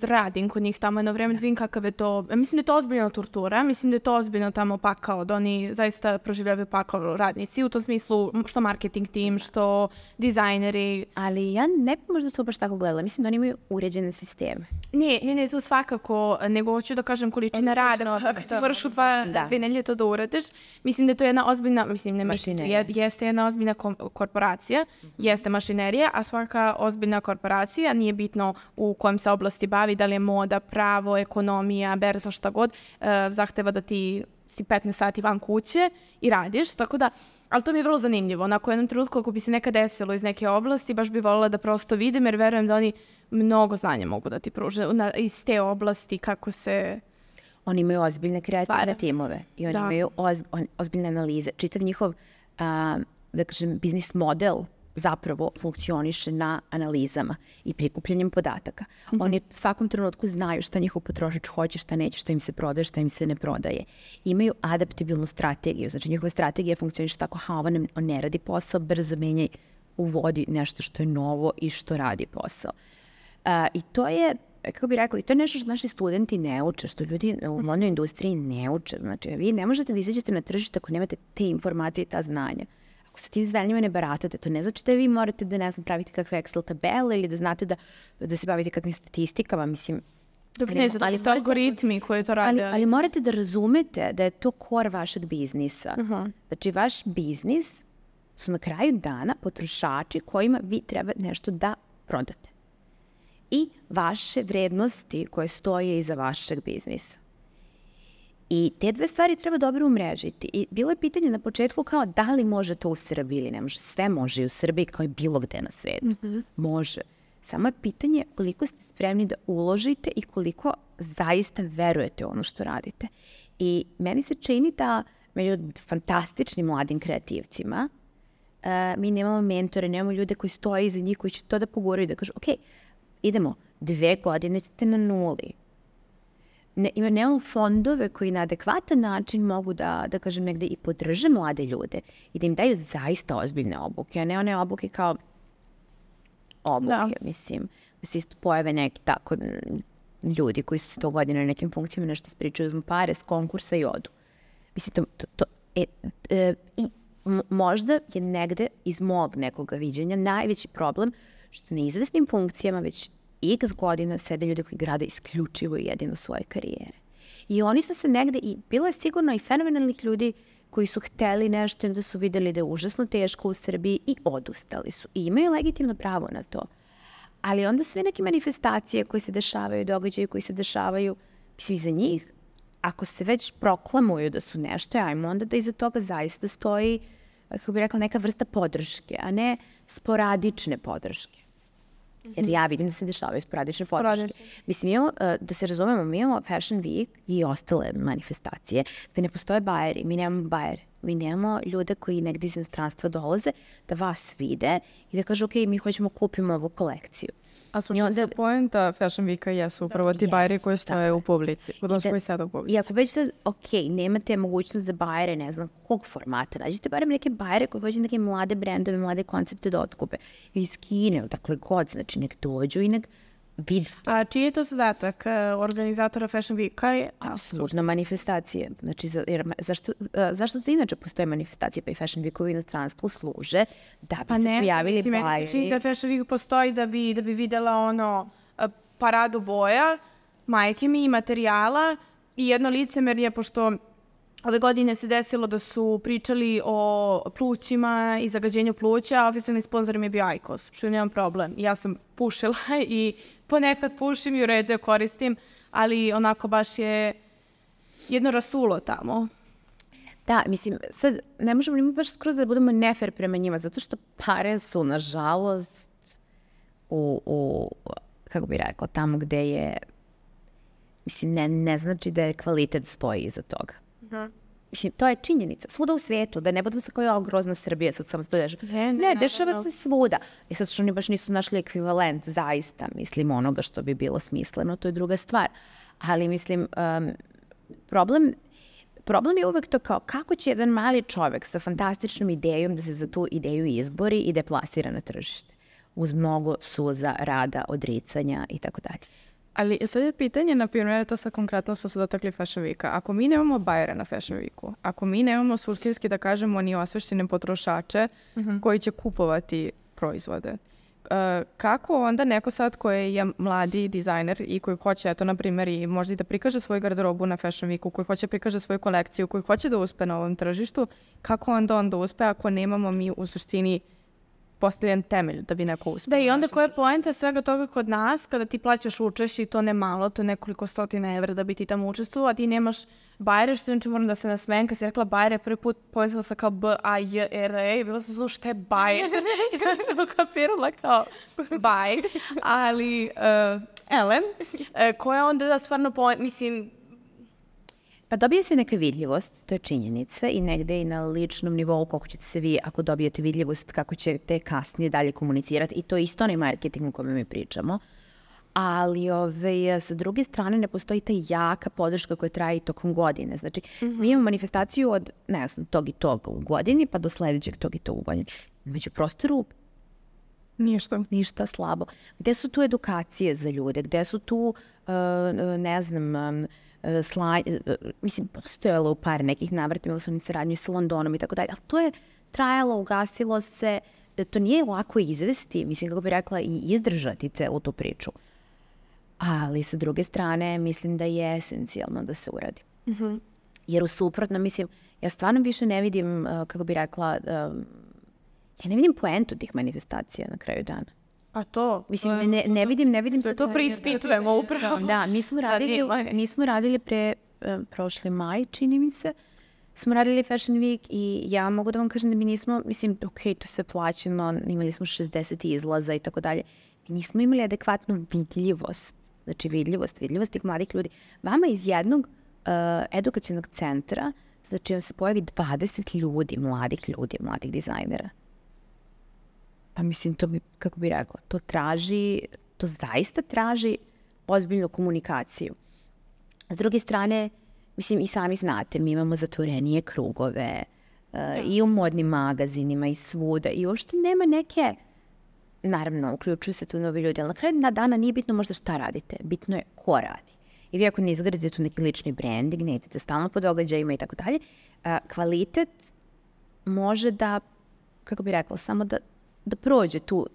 radim kod njih tamo jedno vreme, da vidim kakav je to, mislim da je to ozbiljna tortura, mislim da je to ozbiljno tamo pakao, da oni zaista proživljavaju pakao radnici, u tom smislu što marketing tim, što dizajneri. Ali ja ne bi možda to baš tako gledala, mislim da oni imaju uređene sisteme. Ne, ne, ne, to svakako, nego hoću da kažem količina rada, ako ti moraš u dva, da. dve nedelje to da uradiš, mislim da je to jedna ozbiljna, mislim ne mislim, jeste jedna ozbiljna korporacija, jeste mašinerija, a svaka ozbiljna korporacija, nije bitno u kojem se oblasti bavi, da li je moda, pravo, ekonomija, berza, šta god, e, zahteva da ti si petnaest sati van kuće i radiš, tako da, ali to mi je vrlo zanimljivo. Onako, u jednom trenutku, ako bi se nekad desilo iz neke oblasti, baš bi voljela da prosto vidim, jer verujem da oni mnogo znanja mogu da ti pruže na, iz te oblasti, kako se... Oni imaju ozbiljne kreativne timove i oni da. imaju oz, on, ozbiljne analize. Čitav njihov, a, da kažem, biznis model zapravo funkcioniše na analizama i prikupljanjem podataka. Mm-hmm. Oni u svakom trenutku znaju šta njihov potrošač hoće, šta neće, šta im se prodaje, šta im se ne prodaje. Imaju adaptabilnu strategiju, znači njihova strategija funkcioniše tako, ha, ovo ne, on ne radi posao, brzo menjaj, uvodi nešto što je novo i što radi posao. Uh, I to je, kako bih rekla, to je nešto što naši studenti ne uče, što ljudi u modnoj industriji ne uče. Znači, vi ne možete da izađete na tržište ako nemate te informacije i ta znanja. Ako sa tim znanjima ne baratate, to ne znači da vi morate da, ne znam, pravite kakve Excel tabele ili da znate da, da se bavite kakvim statistikama, mislim. Dobro, ne znam, ali su algoritmi koji to rade. Ali, ali morate da razumete da je to core vašeg biznisa. Uh-huh. Znači, vaš biznis su na kraju dana potrošači kojima vi treba nešto da prodate. I vaše vrednosti koje stoje iza vašeg biznisa. I te dve stvari treba dobro umrežiti. I bilo je pitanje na početku kao da li može to u Srbiji ili ne može. Sve može i u Srbiji kao i bilo gde na svijetu. Mm-hmm. Može. Samo je pitanje koliko ste spremni da uložite i koliko zaista verujete u ono što radite. I meni se čini da među fantastičnim mladim kreativcima uh, mi nemamo mentore, nemamo ljude koji stoje iza njih, koji će to da poguraju, da kažu ok, idemo, dve godine ćete na nuli. Ne, nemamo fondove koji na adekvatan način mogu da, da kažem, negde i podrže mlade ljude i da im daju zaista ozbiljne obuke, a ne one obuke kao obuke, da. mislim. Da se isto pojave neki tako ljudi koji su sto godina na nekim funkcijama nešto spričaju, uzmu pare s konkursa i odu. Mislim, to, to, to e, e, i možda je negde iz mog nekoga viđenja najveći problem što na izvesnim funkcijama već x godina sede ljudi koji grade isključivo i jedino svoje karijere. I oni su se negde, i bilo je sigurno i fenomenalnih ljudi koji su hteli nešto i onda su videli da je užasno teško u Srbiji i odustali su. I imaju legitimno pravo na to. Ali onda sve neke manifestacije koje se dešavaju, događaje koji se dešavaju, mislim, za njih, ako se već proklamuju da su nešto, ajmo onda da iza toga zaista stoji, kako bih rekla, neka vrsta podrške, a ne sporadične podrške. Jer ja vidim da se dešavaju sporadične podrške. Mislim, imamo, da se razumemo, mi imamo Fashion Week i ostale manifestacije gde ne postoje bajeri, mi nemamo bajere. Mi nemamo ljude koji negdje iz inostranstva dolaze da vas vide i da kažu, ok, mi hoćemo kupimo ovu kolekciju. A suštinska poenta Fashion Weeka jesu upravo ti bajeri koji stoje u publici, odnosno koji sada u publici. I ako već sad, ok, nemate mogućnost za bajere, ne znam kog formata, nađite barem neke bajere koji hoće neke mlade brendove, mlade koncepte da otkupe. Iz Kine, dakle god, znači nek dođu i nek vidu. A čiji je to zadatak organizatora Fashion Weeka? Apsolutno manifestacije. Znači, za, jer, zašto, zašto se inače postoje manifestacije, pa i Fashion Week u inostranstvu služe da bi pa se ne, pojavili mislim, bajeri. Meni se čini da Fashion Week postoji da bi, da bi videla ono paradu boja, majke mi i materijala i jedno licemerje, pošto ove godine se desilo da su pričali o plućima i zagađenju pluća, a oficijalni sponsor mi je bio Aikos, što nemam problem. Ja sam pušila i ponekad pušim i u redu koristim, ali onako baš je jedno rasulo tamo. Da, mislim, sad ne možemo ni baš skroz da budemo nefer prema njima, zato što pare su, nažalost, u, u kako bih rekla, tamo gde je, mislim, ne, ne znači da je kvalitet stoji iza toga. Uh-huh. Mislim, to je činjenica. Svuda u svijetu, da ne budem sa koja je grozna Srbija, sad samo se to dešava. Ne, ne, ne dešava ne, ne. se svuda. I sad što oni baš nisu našli ekvivalent, zaista, mislim, onoga što bi bilo smisleno, to je druga stvar. Ali, mislim, um, problem, problem je uvek to kao kako će jedan mali čovek sa fantastičnom idejom da se za tu ideju izbori i da je plasira na tržište. Uz mnogo suza, rada, odricanja i tako dalje. Ali sad je pitanje, na primjer, to sad konkretno smo se dotakli Fashion Weeka. Ako mi nemamo bajera na Fashion Weeku, ako mi nemamo suštinski, da kažemo, ni osveštene potrošače uh-huh. koji će kupovati proizvode, uh, kako onda neko sad koji je mladi dizajner i koji hoće, eto, na primjer, i možda i da prikaže svoju garderobu na Fashion Weeku, koji hoće prikaže svoju kolekciju, koji hoće da uspe na ovom tržištu, kako onda onda uspe ako nemamo mi u suštini postavljen temelj da bi neko uspio. Da, i onda koja je poenta svega toga kod nas, kada ti plaćaš učešće i to ne malo, to je nekoliko stotina evra da bi ti tamo učestvovao, a ti nemaš bajere, što znači moram da se nasmejem, kad si rekla bajere, prvi put povezala sam kao B A J R E i bila sam znao šta je bajer. I kada sam kapirala kao baj, ali uh, Ellen, uh, koja onda da stvarno poenta, mislim, pa dobije se neka vidljivost, to je činjenica i negde i na ličnom nivou koliko ćete se vi, ako dobijete vidljivost, kako ćete kasnije dalje komunicirati i to je isto onaj marketing o kome mi pričamo. Ali ove, sa druge strane ne postoji ta jaka podrška koja traje i tokom godine. Znači, mm-hmm. mi imamo manifestaciju od, ne znam, tog i tog u godini pa do sledećeg tog i tog u godini. Među prostoru ništa. Ništa, slabo. Gde su tu edukacije za ljude? Gde su tu, uh, ne znam, um, Sla, mislim, postojalo u par nekih navrata, imali su oni saradnju sa Londonom i tako dalje, ali to je trajalo, ugasilo se, to nije lako izvesti, mislim, kako bih rekla, i izdržati celu tu priču. Ali sa druge strane, mislim da je esencijalno da se uradi. Mm-hmm. Jer u suprotno, mislim, ja stvarno više ne vidim, kako bih rekla, ja ne vidim poentu tih manifestacija na kraju dana. A to? Mislim, ne, ne vidim, ne vidim se... To preispitujemo upravo. Da, mi smo radili, mi smo radili pre um, prošli maj, čini mi se, smo radili Fashion Week i ja mogu da vam kažem da mi nismo, mislim, ok, to se plaćeno, imali smo šezdeset izlaza i tako dalje, mi nismo imali adekvatnu vidljivost, znači vidljivost, vidljivost tih mladih ljudi. Vama iz jednog uh, edukacionog centra, znači vam se pojavi dvadeset ljudi, mladih ljudi, mladih dizajnera. Pa mislim, to bi, kako bi rekla, to traži, to zaista traži ozbiljnu komunikaciju. S druge strane, mislim, i sami znate, mi imamo zatvorenije krugove uh, i u modnim magazinima i svuda i uopšte nema neke, naravno, uključuju se tu novi ljudi, ali na kraju dana nije bitno možda šta radite, bitno je ko radi. I vi ako ne izgradite tu neki lični branding, ne idete stalno po događajima i tako dalje, kvalitet može da, kako bi rekla, samo da da prođe tu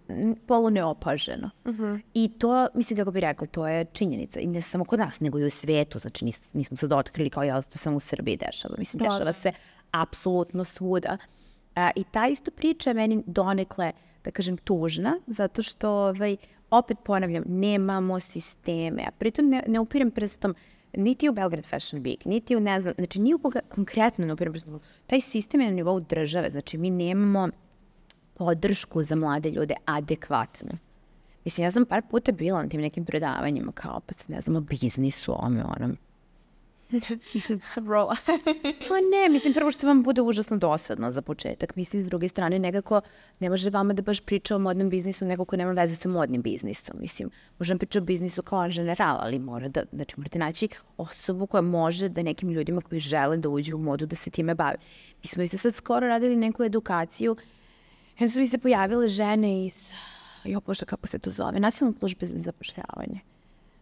polu neopaženo. Uh-huh. I to, mislim kako bi rekla, to je činjenica. I ne samo kod nas, nego i u svijetu. Znači nis, nismo sad otkrili kao ja, to samo u Srbiji dešava. Mislim, dešava da. se apsolutno svuda. A, I ta isto priča je meni donekle, da kažem, tužna, zato što, ovaj, opet ponavljam, nemamo sisteme. A pritom ne, ne upirem prstom niti u Belgrade Fashion Week, niti u, ne znam, znači ni u koga konkretno ne upirem prstom. Taj sistem je na nivou države, znači mi nemamo podršku za mlade ljude adekvatno. Mislim, ja sam par puta bila na tim nekim predavanjima, kao pa se ne znam o biznisu, ome, onom. Rola. Pa ne, mislim, prvo što vam bude užasno dosadno za početak. Mislim, s druge strane, nekako ne može vama da baš priča o modnom biznisu nego ko nema veze sa modnim biznisom. Mislim, možem pričati o biznisu kao general, ali mora da, znači morate naći osobu koja može da nekim ljudima koji žele da uđu u modu da se time bave. Mi smo i sad skoro radili neku edukaciju. Onda su mi se pojavile žene iz, jo bože, kako se to zove, Nacionalne službe za zapošljavanje.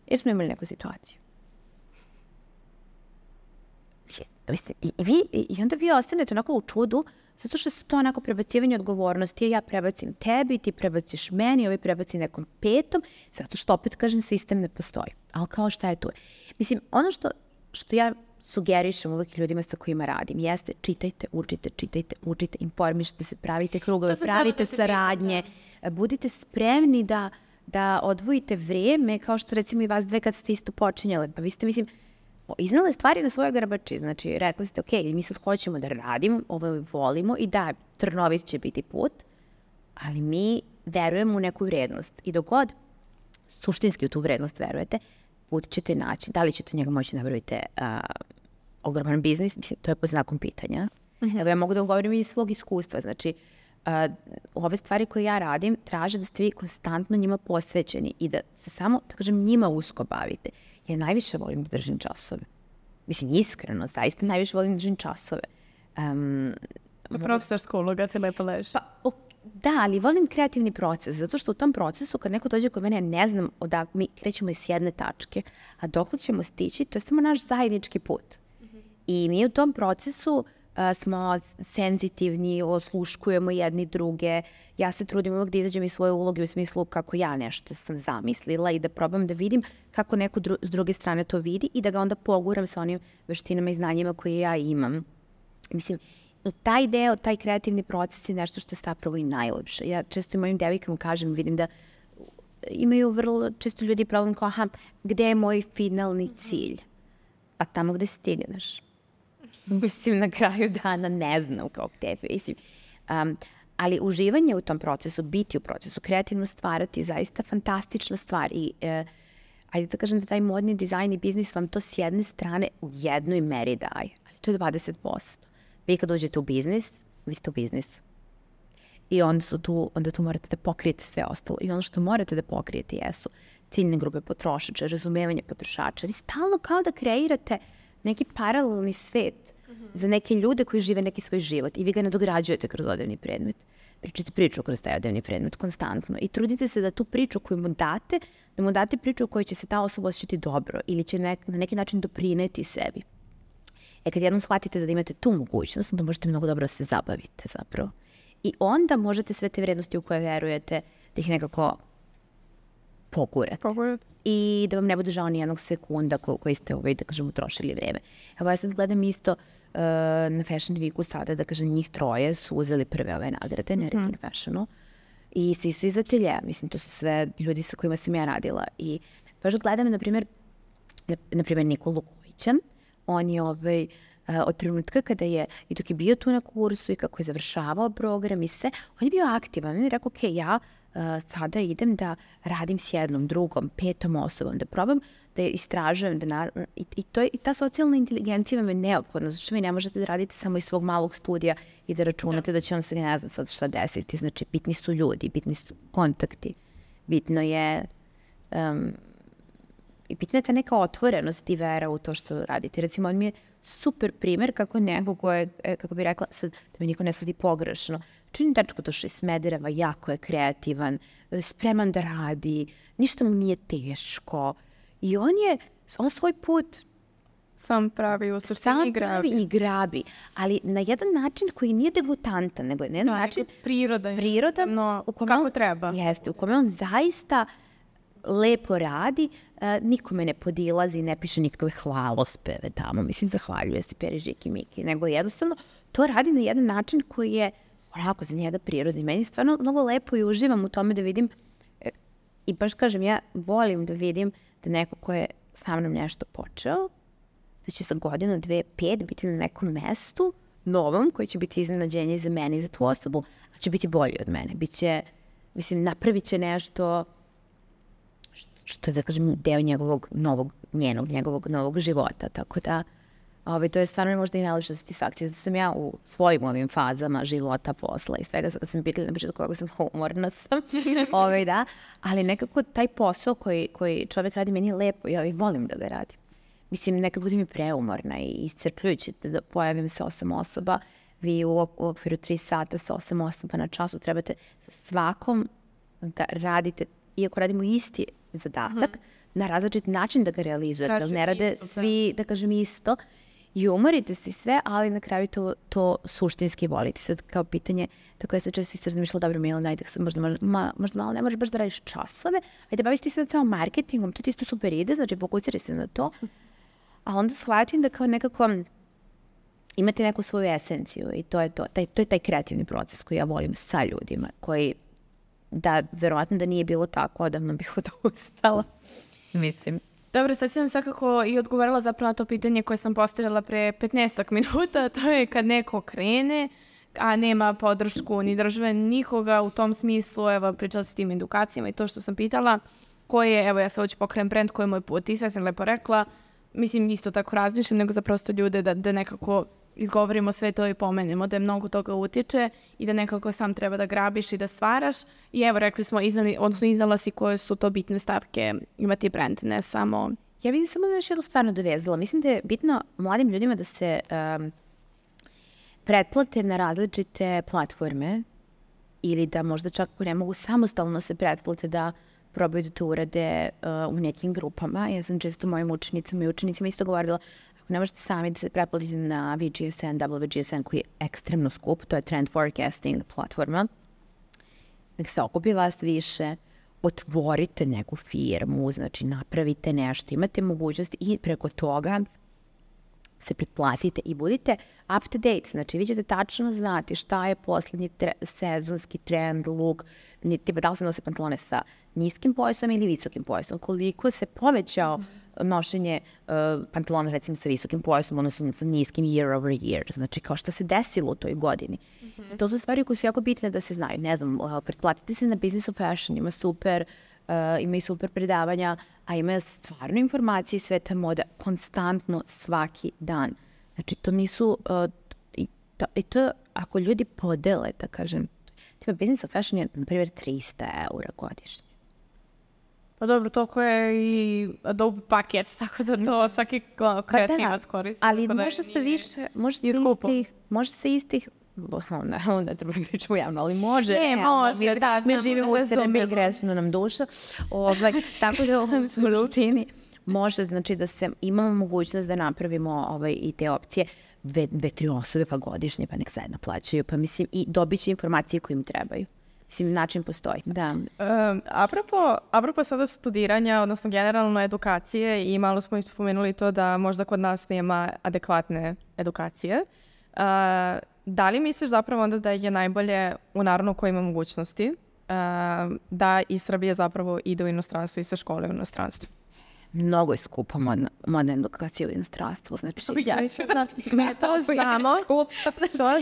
Jer smo imali neku situaciju. Mislim, i, vi, I onda vi ostanete onako u čudu, zato što su to onako prebacivanje odgovornosti. Ja prebacim tebi, ti prebaciš meni, ovaj prebaci nekom petom, zato što opet, kažem, sistem ne postoji. Ali kao šta je tu? Mislim, ono što, što ja sugerišem uvijek ljudima sa kojima radim, jeste čitajte, učite, čitajte, učite, informišite se, pravite krugove, pravite da saradnje, da. budite spremni da, da odvojite vreme, kao što recimo i vas dve kad ste isto počinjale. Pa vi ste, mislim, iznale stvari na svojoj grbači, znači rekli ste, ok, mi sad hoćemo da radimo, ovo volimo i da, trnovit će biti put, ali mi verujemo u neku vrednost i dok god suštinski u tu vrednost verujete, put ćete naći. Da li ćete njega moći napraviti uh, ogroman biznis? Mislim, to je po znakom pitanja. Uh-huh. Evo ja mogu da govorim iz svog iskustva. Znači, uh, ove stvari koje ja radim traže da ste vi konstantno njima posvećeni i da se samo, da kažem, njima usko bavite. Ja najviše volim da držim časove. Mislim, iskreno, zaista najviše volim da držim časove. Um, Profesorska uloga ti lepo leži. Pa, ok. Da, ali volim kreativni proces, zato što u tom procesu kad neko dođe kod mene, ja ne znam odak, mi krećemo iz jedne tačke, a dokle ćemo stići, to je samo naš zajednički put. Mm-hmm. I mi u tom procesu uh, smo senzitivni, osluškujemo jedni druge, ja se trudim uvijek da izađem iz svoje uloge u smislu kako ja nešto sam zamislila i da probam da vidim kako neko dru- s druge strane to vidi i da ga onda poguram sa onim veštinama i znanjima koje ja imam. Mislim, taj deo, taj kreativni proces je nešto što je zapravo i najlepše. Ja često i mojim devojkama kažem, vidim da imaju vrlo često ljudi problem kao, aha, gde je moj finalni cilj? Pa tamo gde stigneš. Mislim, na kraju dana ne znam kao gde, mislim. Um, ali uživanje u tom procesu, biti u procesu, kreativno stvarati je zaista fantastična stvar i uh, ajde da kažem da taj modni dizajn i biznis vam to s jedne strane u jednoj meri daje, ali to je dvadeset posto. Vi kad uđete u biznis, vi ste u biznisu. I onda, su tu, onda tu morate da pokrijete sve ostalo. I ono što morate da pokrijete jesu ciljne grupe potrošača, razumevanje potrošača. Vi stalno kao da kreirate neki paralelni svet mm-hmm. za neke ljude koji žive neki svoj život i vi ga nadograđujete kroz odevni predmet. Pričate priču kroz taj odevni predmet konstantno i trudite se da tu priču koju mu date, da mu date priču u kojoj će se ta osoba osjećati dobro ili će nek, na neki način doprineti sebi. E kad jednom shvatite da imate tu mogućnost, onda možete mnogo dobro se zabavite zapravo. I onda možete sve te vrednosti u koje verujete da ih nekako pogurate. Pogurate. I da vam ne bude žao ni jednog sekunda ko, koji ste, ovaj, da kažem, utrošili vreme. Evo ja sad gledam isto uh, na Fashion Weeku sada, da kažem, njih troje su uzeli prve ove nagrade, na Rating mm-hmm. Fashionu. I svi su iz ateljeja. Mislim, to su sve ljudi sa kojima sam ja radila. I baš gledam, na primjer, na, na primjer Nikolu Kojićan. On je ovaj, uh, od trenutka kada je, i dok je bio tu na kursu i kako je završavao program i sve, on je bio aktivan. On je rekao, ok, ja uh, sada idem da radim s jednom, drugom, petom osobom, da probam da istražujem. Da na, i, i, to je, I ta socijalna inteligencija vam je neophodna, zato što vi ne možete da radite samo iz svog malog studija i da računate da, da će vam se ne znam sad šta desiti. Znači, bitni su ljudi, bitni su kontakti, bitno je... Um, I bitna je ta neka otvorenost i vera u to što radite. Recimo, on mi je super primer kako neko ko je, kako bi rekla, sad, da mi niko ne shvati pogrešno, čini dečko to što je Smedereva, jako je kreativan, spreman da radi, ništa mu nije teško. I on je, on svoj put Sam pravi u suštini Sam i grabi. pravi i grabi, ali na jedan način koji nije degutantan, nego je na jedan način prirodan, prirodan no, u kome kako on, treba. Jeste, u kome on zaista lepo radi, uh, nikome ne podilazi, ne piše nikakve hvalospeve tamo, mislim, zahvaljuje se Peri, Žiki, Miki, nego jednostavno to radi na jedan način koji je onako za njega prirodni. Meni je stvarno mnogo lepo i uživam u tome da vidim, e, i baš kažem, ja volim da vidim da neko ko je sa mnom nešto počeo, da će za godinu, dve, pet biti na nekom mestu novom, koji će biti iznenađenje za mene i za tu osobu, a će biti bolji od mene. Biće, mislim, napravit će nešto što je, da kažem, deo njegovog novog, njenog, njegovog novog života. Tako da, ovaj, to je stvarno možda i najlepša satisfakcija. Zato sam ja u svojim ovim fazama života, posla i svega, sad kad sam pitala na početku kako sam umorna sam, ovaj, da, ali nekako taj posao koji, koji čovjek radi meni je lepo, ja i volim da ga radim. Mislim, nekad budem i preumorna i iscrpljujući da pojavim se osam osoba, vi u, u okviru tri sata sa osam osoba na času trebate sa svakom da radite, iako radimo isti zadatak, mm-hmm. na različit način da ga realizujete, ali ne rade isto, svi, da kažem, isto. I umorite se sve, ali na kraju to, to suštinski volite. Sad kao pitanje, tako ja sam često isto razmišljala, dobro, Mila, najde, možda, ma, možda malo ne možeš baš da radiš časove, ajde baviš ti se sad samo marketingom, to ti isto super ide, znači fokusiraj se na to. A onda shvatim da kao nekako imate neku svoju esenciju i to je to. Taj, to je taj kreativni proces koji ja volim sa ljudima, koji da, verovatno da nije bilo tako, odavno bih odustala. Mislim. Dobro, sad si nam svakako i odgovorila zapravo na to pitanje koje sam postavila pre petnaestak minuta, to je kad neko krene, a nema podršku ni države, nikoga u tom smislu, evo, pričala si tim edukacijama i to što sam pitala, koje, evo, ja sad hoću pokrenem brand, koji je moj put i sve sam lepo rekla, mislim, isto tako razmišljam, nego za prosto ljude da, da nekako izgovorimo sve to i pomenemo, da je mnogo toga utiče i da nekako sam treba da grabiš i da stvaraš. I evo, rekli smo, iznali, odnosno iznala si koje su to bitne stavke imati brand, ne samo... Ja vidim samo da još jednu stvarno dovezala. Mislim da je bitno mladim ljudima da se um, pretplate na različite platforme ili da možda čak ne mogu samostalno se pretplate da probaju da to urade uh, u nekim grupama. Ja sam često mojim učenicama i učenicima isto govorila, ako ne možete sami da se pretplatite na V G S N, W G S N koji je ekstremno skup, to je trend forecasting platforma, nek se okupi vas više, otvorite neku firmu, znači napravite nešto, imate mogućnosti i preko toga se pretplatite i budite up to date. Znači, vi ćete tačno znati šta je poslednji tre- sezonski trend, look, tipa da li se nose pantalone sa niskim pojasom ili visokim pojasom, koliko se povećao nošenje uh, pantalona recimo sa visokim pojasom, odnosno sa niskim year over year. Znači, kao šta se desilo u toj godini. Mm-hmm. To su stvari koje su jako bitne da se znaju. Ne znam, uh, pretplatite se na Business of Fashion, ima super, uh, ima i super predavanja, a ima stvarno informacije iz sveta moda konstantno svaki dan. Znači, to nisu, uh, i, to, i to ako ljudi podele, da kažem, tipa Business of Fashion je, na primjer, tristo eura godišnje. Pa dobro, toliko je i Adobe paket, tako da to svaki kreativac koristi. Ali može se više, može se istih, može se istih, ne, ne treba pričamo javno, ali može. Ne, može, mi, da. Mi živimo u Srbiji, gresno nam duša, ovaj, tako da u suštini može, znači da se imamo mogućnost da napravimo ovaj, i te opcije, dve, dve, tri osobe pa godišnje, pa nek zajedno plaćaju, pa mislim i dobit će informacije koje im trebaju. Mislim, način postoji. Da. Um, apropo, apropo sada studiranja, odnosno generalno edukacije i malo smo spomenuli to da možda kod nas nema adekvatne edukacije. Uh, da li misliš zapravo onda da je najbolje u narodu koji ima mogućnosti uh, da iz Srbije zapravo ide u inostranstvo i sa škole u inostranstvo? Mnogo je skupa modna, modna edukacija u inostranstvu. Znači, ja ću da... to znamo, to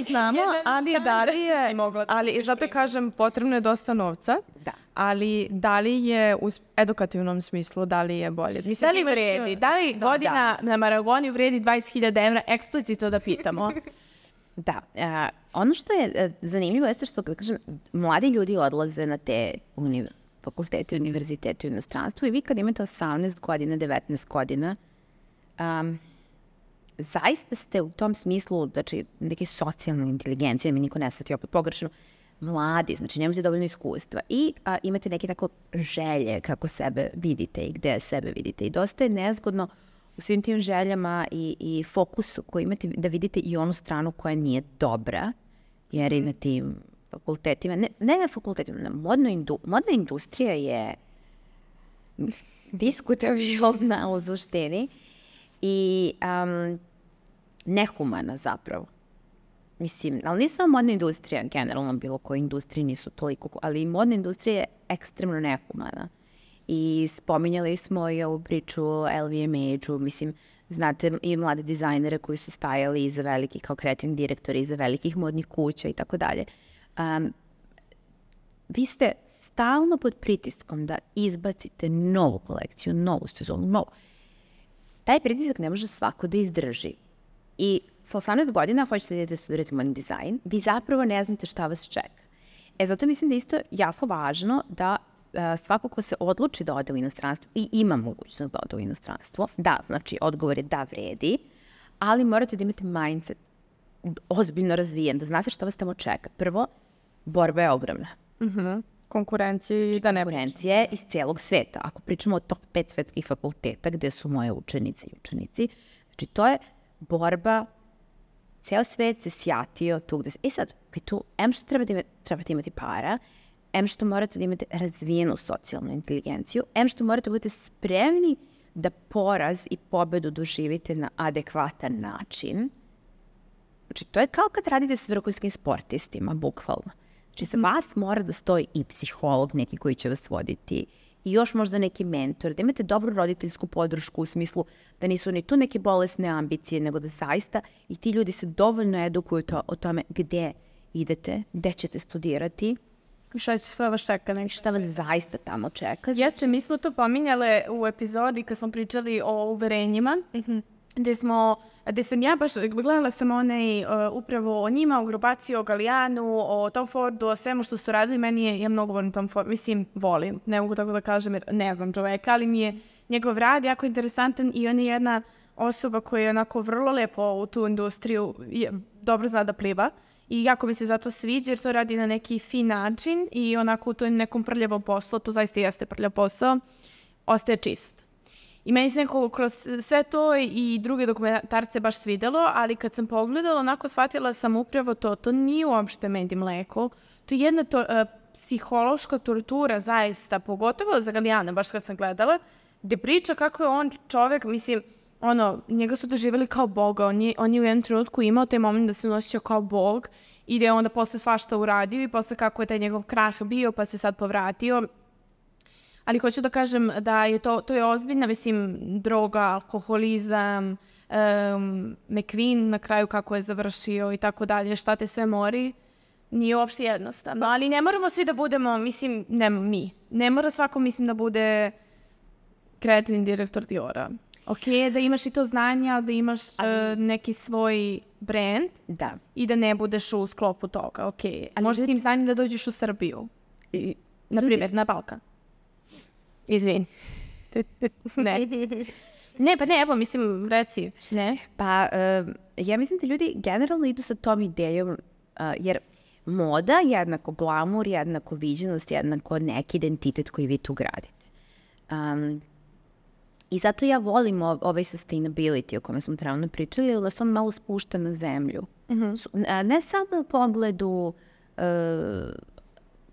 znamo, ali da li je, ali zato kažem, potrebno je dosta novca, da. Ali da li je u edukativnom smislu, da li je bolje? Mislim, da li vredi? Da li da, godina da. na Maragoniju vredi dvadeset hiljada evra? Eksplicitno da pitamo. Da. Uh, ono što je uh, zanimljivo jeste što, da kažem, mladi ljudi odlaze na te univerzitete, fakulteti, univerziteti u inostranstvu i vi kad imate osamnaest godina, devetnaest godina, um, zaista ste u tom smislu, znači, neke socijalne inteligencije, mi niko ne shvati opet pogrešno, mladi, znači nemate dovoljno iskustva i a, imate neke tako želje kako sebe vidite i gde sebe vidite. I dosta je nezgodno u svim tim željama i, i fokusu koji imate da vidite i onu stranu koja nije dobra, jer i na tim fakultetima, ne, ne na fakultetima, na modno indu, modna industrija je diskutabilna u suštini i um, nehumana zapravo. Mislim, ali nije samo modna industrija, generalno bilo koje industrije nisu toliko, ali i modna industrija je ekstremno nehumana. I spominjali smo i ovu priču L V M H-u, mislim, znate i mlade dizajnere koji su stajali iza velikih, kao kreativni direktori, iza velikih modnih kuća i tako dalje. Um, vi ste stalno pod pritiskom da izbacite novu kolekciju, novu sezonu, novu. Taj pritisak ne može svako da izdrži. I sa osamnaest godina hoćete da idete studirati modni dizajn, vi zapravo ne znate šta vas čeka. E, zato mislim da je isto jako važno da a, svako ko se odluči da ode u inostranstvo i ima mogućnost da ode u inostranstvo, da, znači odgovor je da vredi, ali morate da imate mindset ozbiljno razvijen, da znate šta vas tamo čeka. Prvo, borba je ogromna. Mm-hmm. Konkurencije da ne Konkurencije iz cijelog sveta. Ako pričamo o top pet svetskih fakulteta gde su moje učenice i učenici, znači to je borba, ceo svet se sjatio tu gde se... E sad, vi tu, em što trebate imati, trebate imati para, em što morate da imate razvijenu socijalnu inteligenciju, em što morate da budete spremni da poraz i pobedu doživite na adekvatan način. Znači, to je kao kad radite s vrhunskim sportistima, bukvalno. Znači, za vas mora da stoji i psiholog neki koji će vas voditi, i još možda neki mentor, da imate dobru roditeljsku podršku u smislu da nisu ni tu neke bolesne ambicije, nego da zaista i ti ljudi se dovoljno edukuju to, o tome gde idete, gde ćete studirati. Šta će sve vas čeka? Nek. Šta vas zaista tamo čeka. Jeste, mi smo to pominjale u epizodi kad smo pričali o uverenjima, mm-hmm. gde smo, gde sam ja baš gledala sam onaj uh, upravo o njima, o grupaciji, o Gallijanu, o Tom Fordu, o svemu što su radili. Meni je, ja mnogo volim Tom Ford, mislim, volim, ne mogu tako da kažem jer ne znam čoveka, ali mi je njegov rad jako interesantan i on je jedna osoba koja je onako vrlo lepo u tu industriju, je, dobro zna da pliva i jako mi se zato sviđa jer to radi na neki fin način i onako u tom nekom prljavom poslu, to zaista jeste prljav posao, ostaje čist. I meni se nekako kroz sve to i druge dokumentarce baš svidelo, ali kad sam pogledala, onako shvatila sam upravo to. To nije uopšte med i mleko. To je jedna to, uh, psihološka tortura zaista, pogotovo za Gallijana, baš kad sam gledala, gde priča kako je on čovek, mislim, ono, njega su doživjeli kao boga. On je, on je u jednom trenutku imao taj moment da se osjećao kao bog i da je onda posle svašta uradio i posle kako je taj njegov krah bio pa se sad povratio. Ali hoću da kažem da je to, to je ozbiljna, mislim, droga, alkoholizam, um, McQueen na kraju kako je završio i tako dalje, šta te sve mori, nije uopšte jednostavno. Ali ne moramo svi da budemo, mislim, ne mi, ne mora svako, mislim, da bude kreativni direktor Diora. Ok, da imaš i to znanja, da imaš ali, uh, neki svoj brand da. I da ne budeš u sklopu toga, ok. Ali možeš tim znanjem da dođeš u Srbiju, i, na primjer, na Balkan. Izvini. ne. Ne, pa ne, evo, mislim, reci. Ne. Pa, uh, ja mislim da ljudi generalno idu sa tom idejom, uh, jer moda jednako glamur, jednako viđenost, jednako neki identitet koji vi tu gradite. Um, I zato ja volim ov, ovaj sustainability o kome smo trenutno pričali, jer da se on malo spušta na zemlju. Mm-hmm. Su, a, ne samo u pogledu, uh,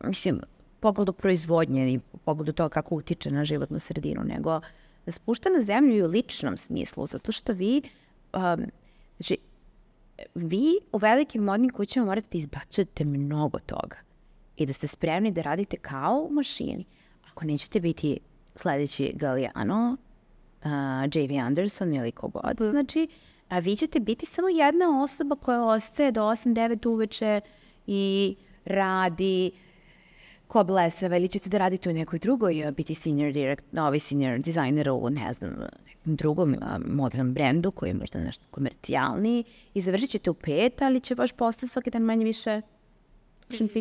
mislim, pogledu proizvodnje i pogledu toga kako utiče na životnu sredinu, nego da spušta na zemlju i u ličnom smislu, zato što vi, um, znači, vi u velikim modnim kućama morate da izbacujete mnogo toga i da ste spremni da radite kao u mašini. Ako nećete biti sledeći Galliano, uh, J V Anderson ili kogod, mm. znači, a vi ćete biti samo jedna osoba koja ostaje do osam devet uveče i radi ko blesava, ili ćete da radite u nekoj drugoj, biti senior direct, novi senior designer u, ne znam, nekom drugom modernom brendu koji je možda nešto komercijalniji i završit ćete u pet, ali će vaš posao svaki dan manje više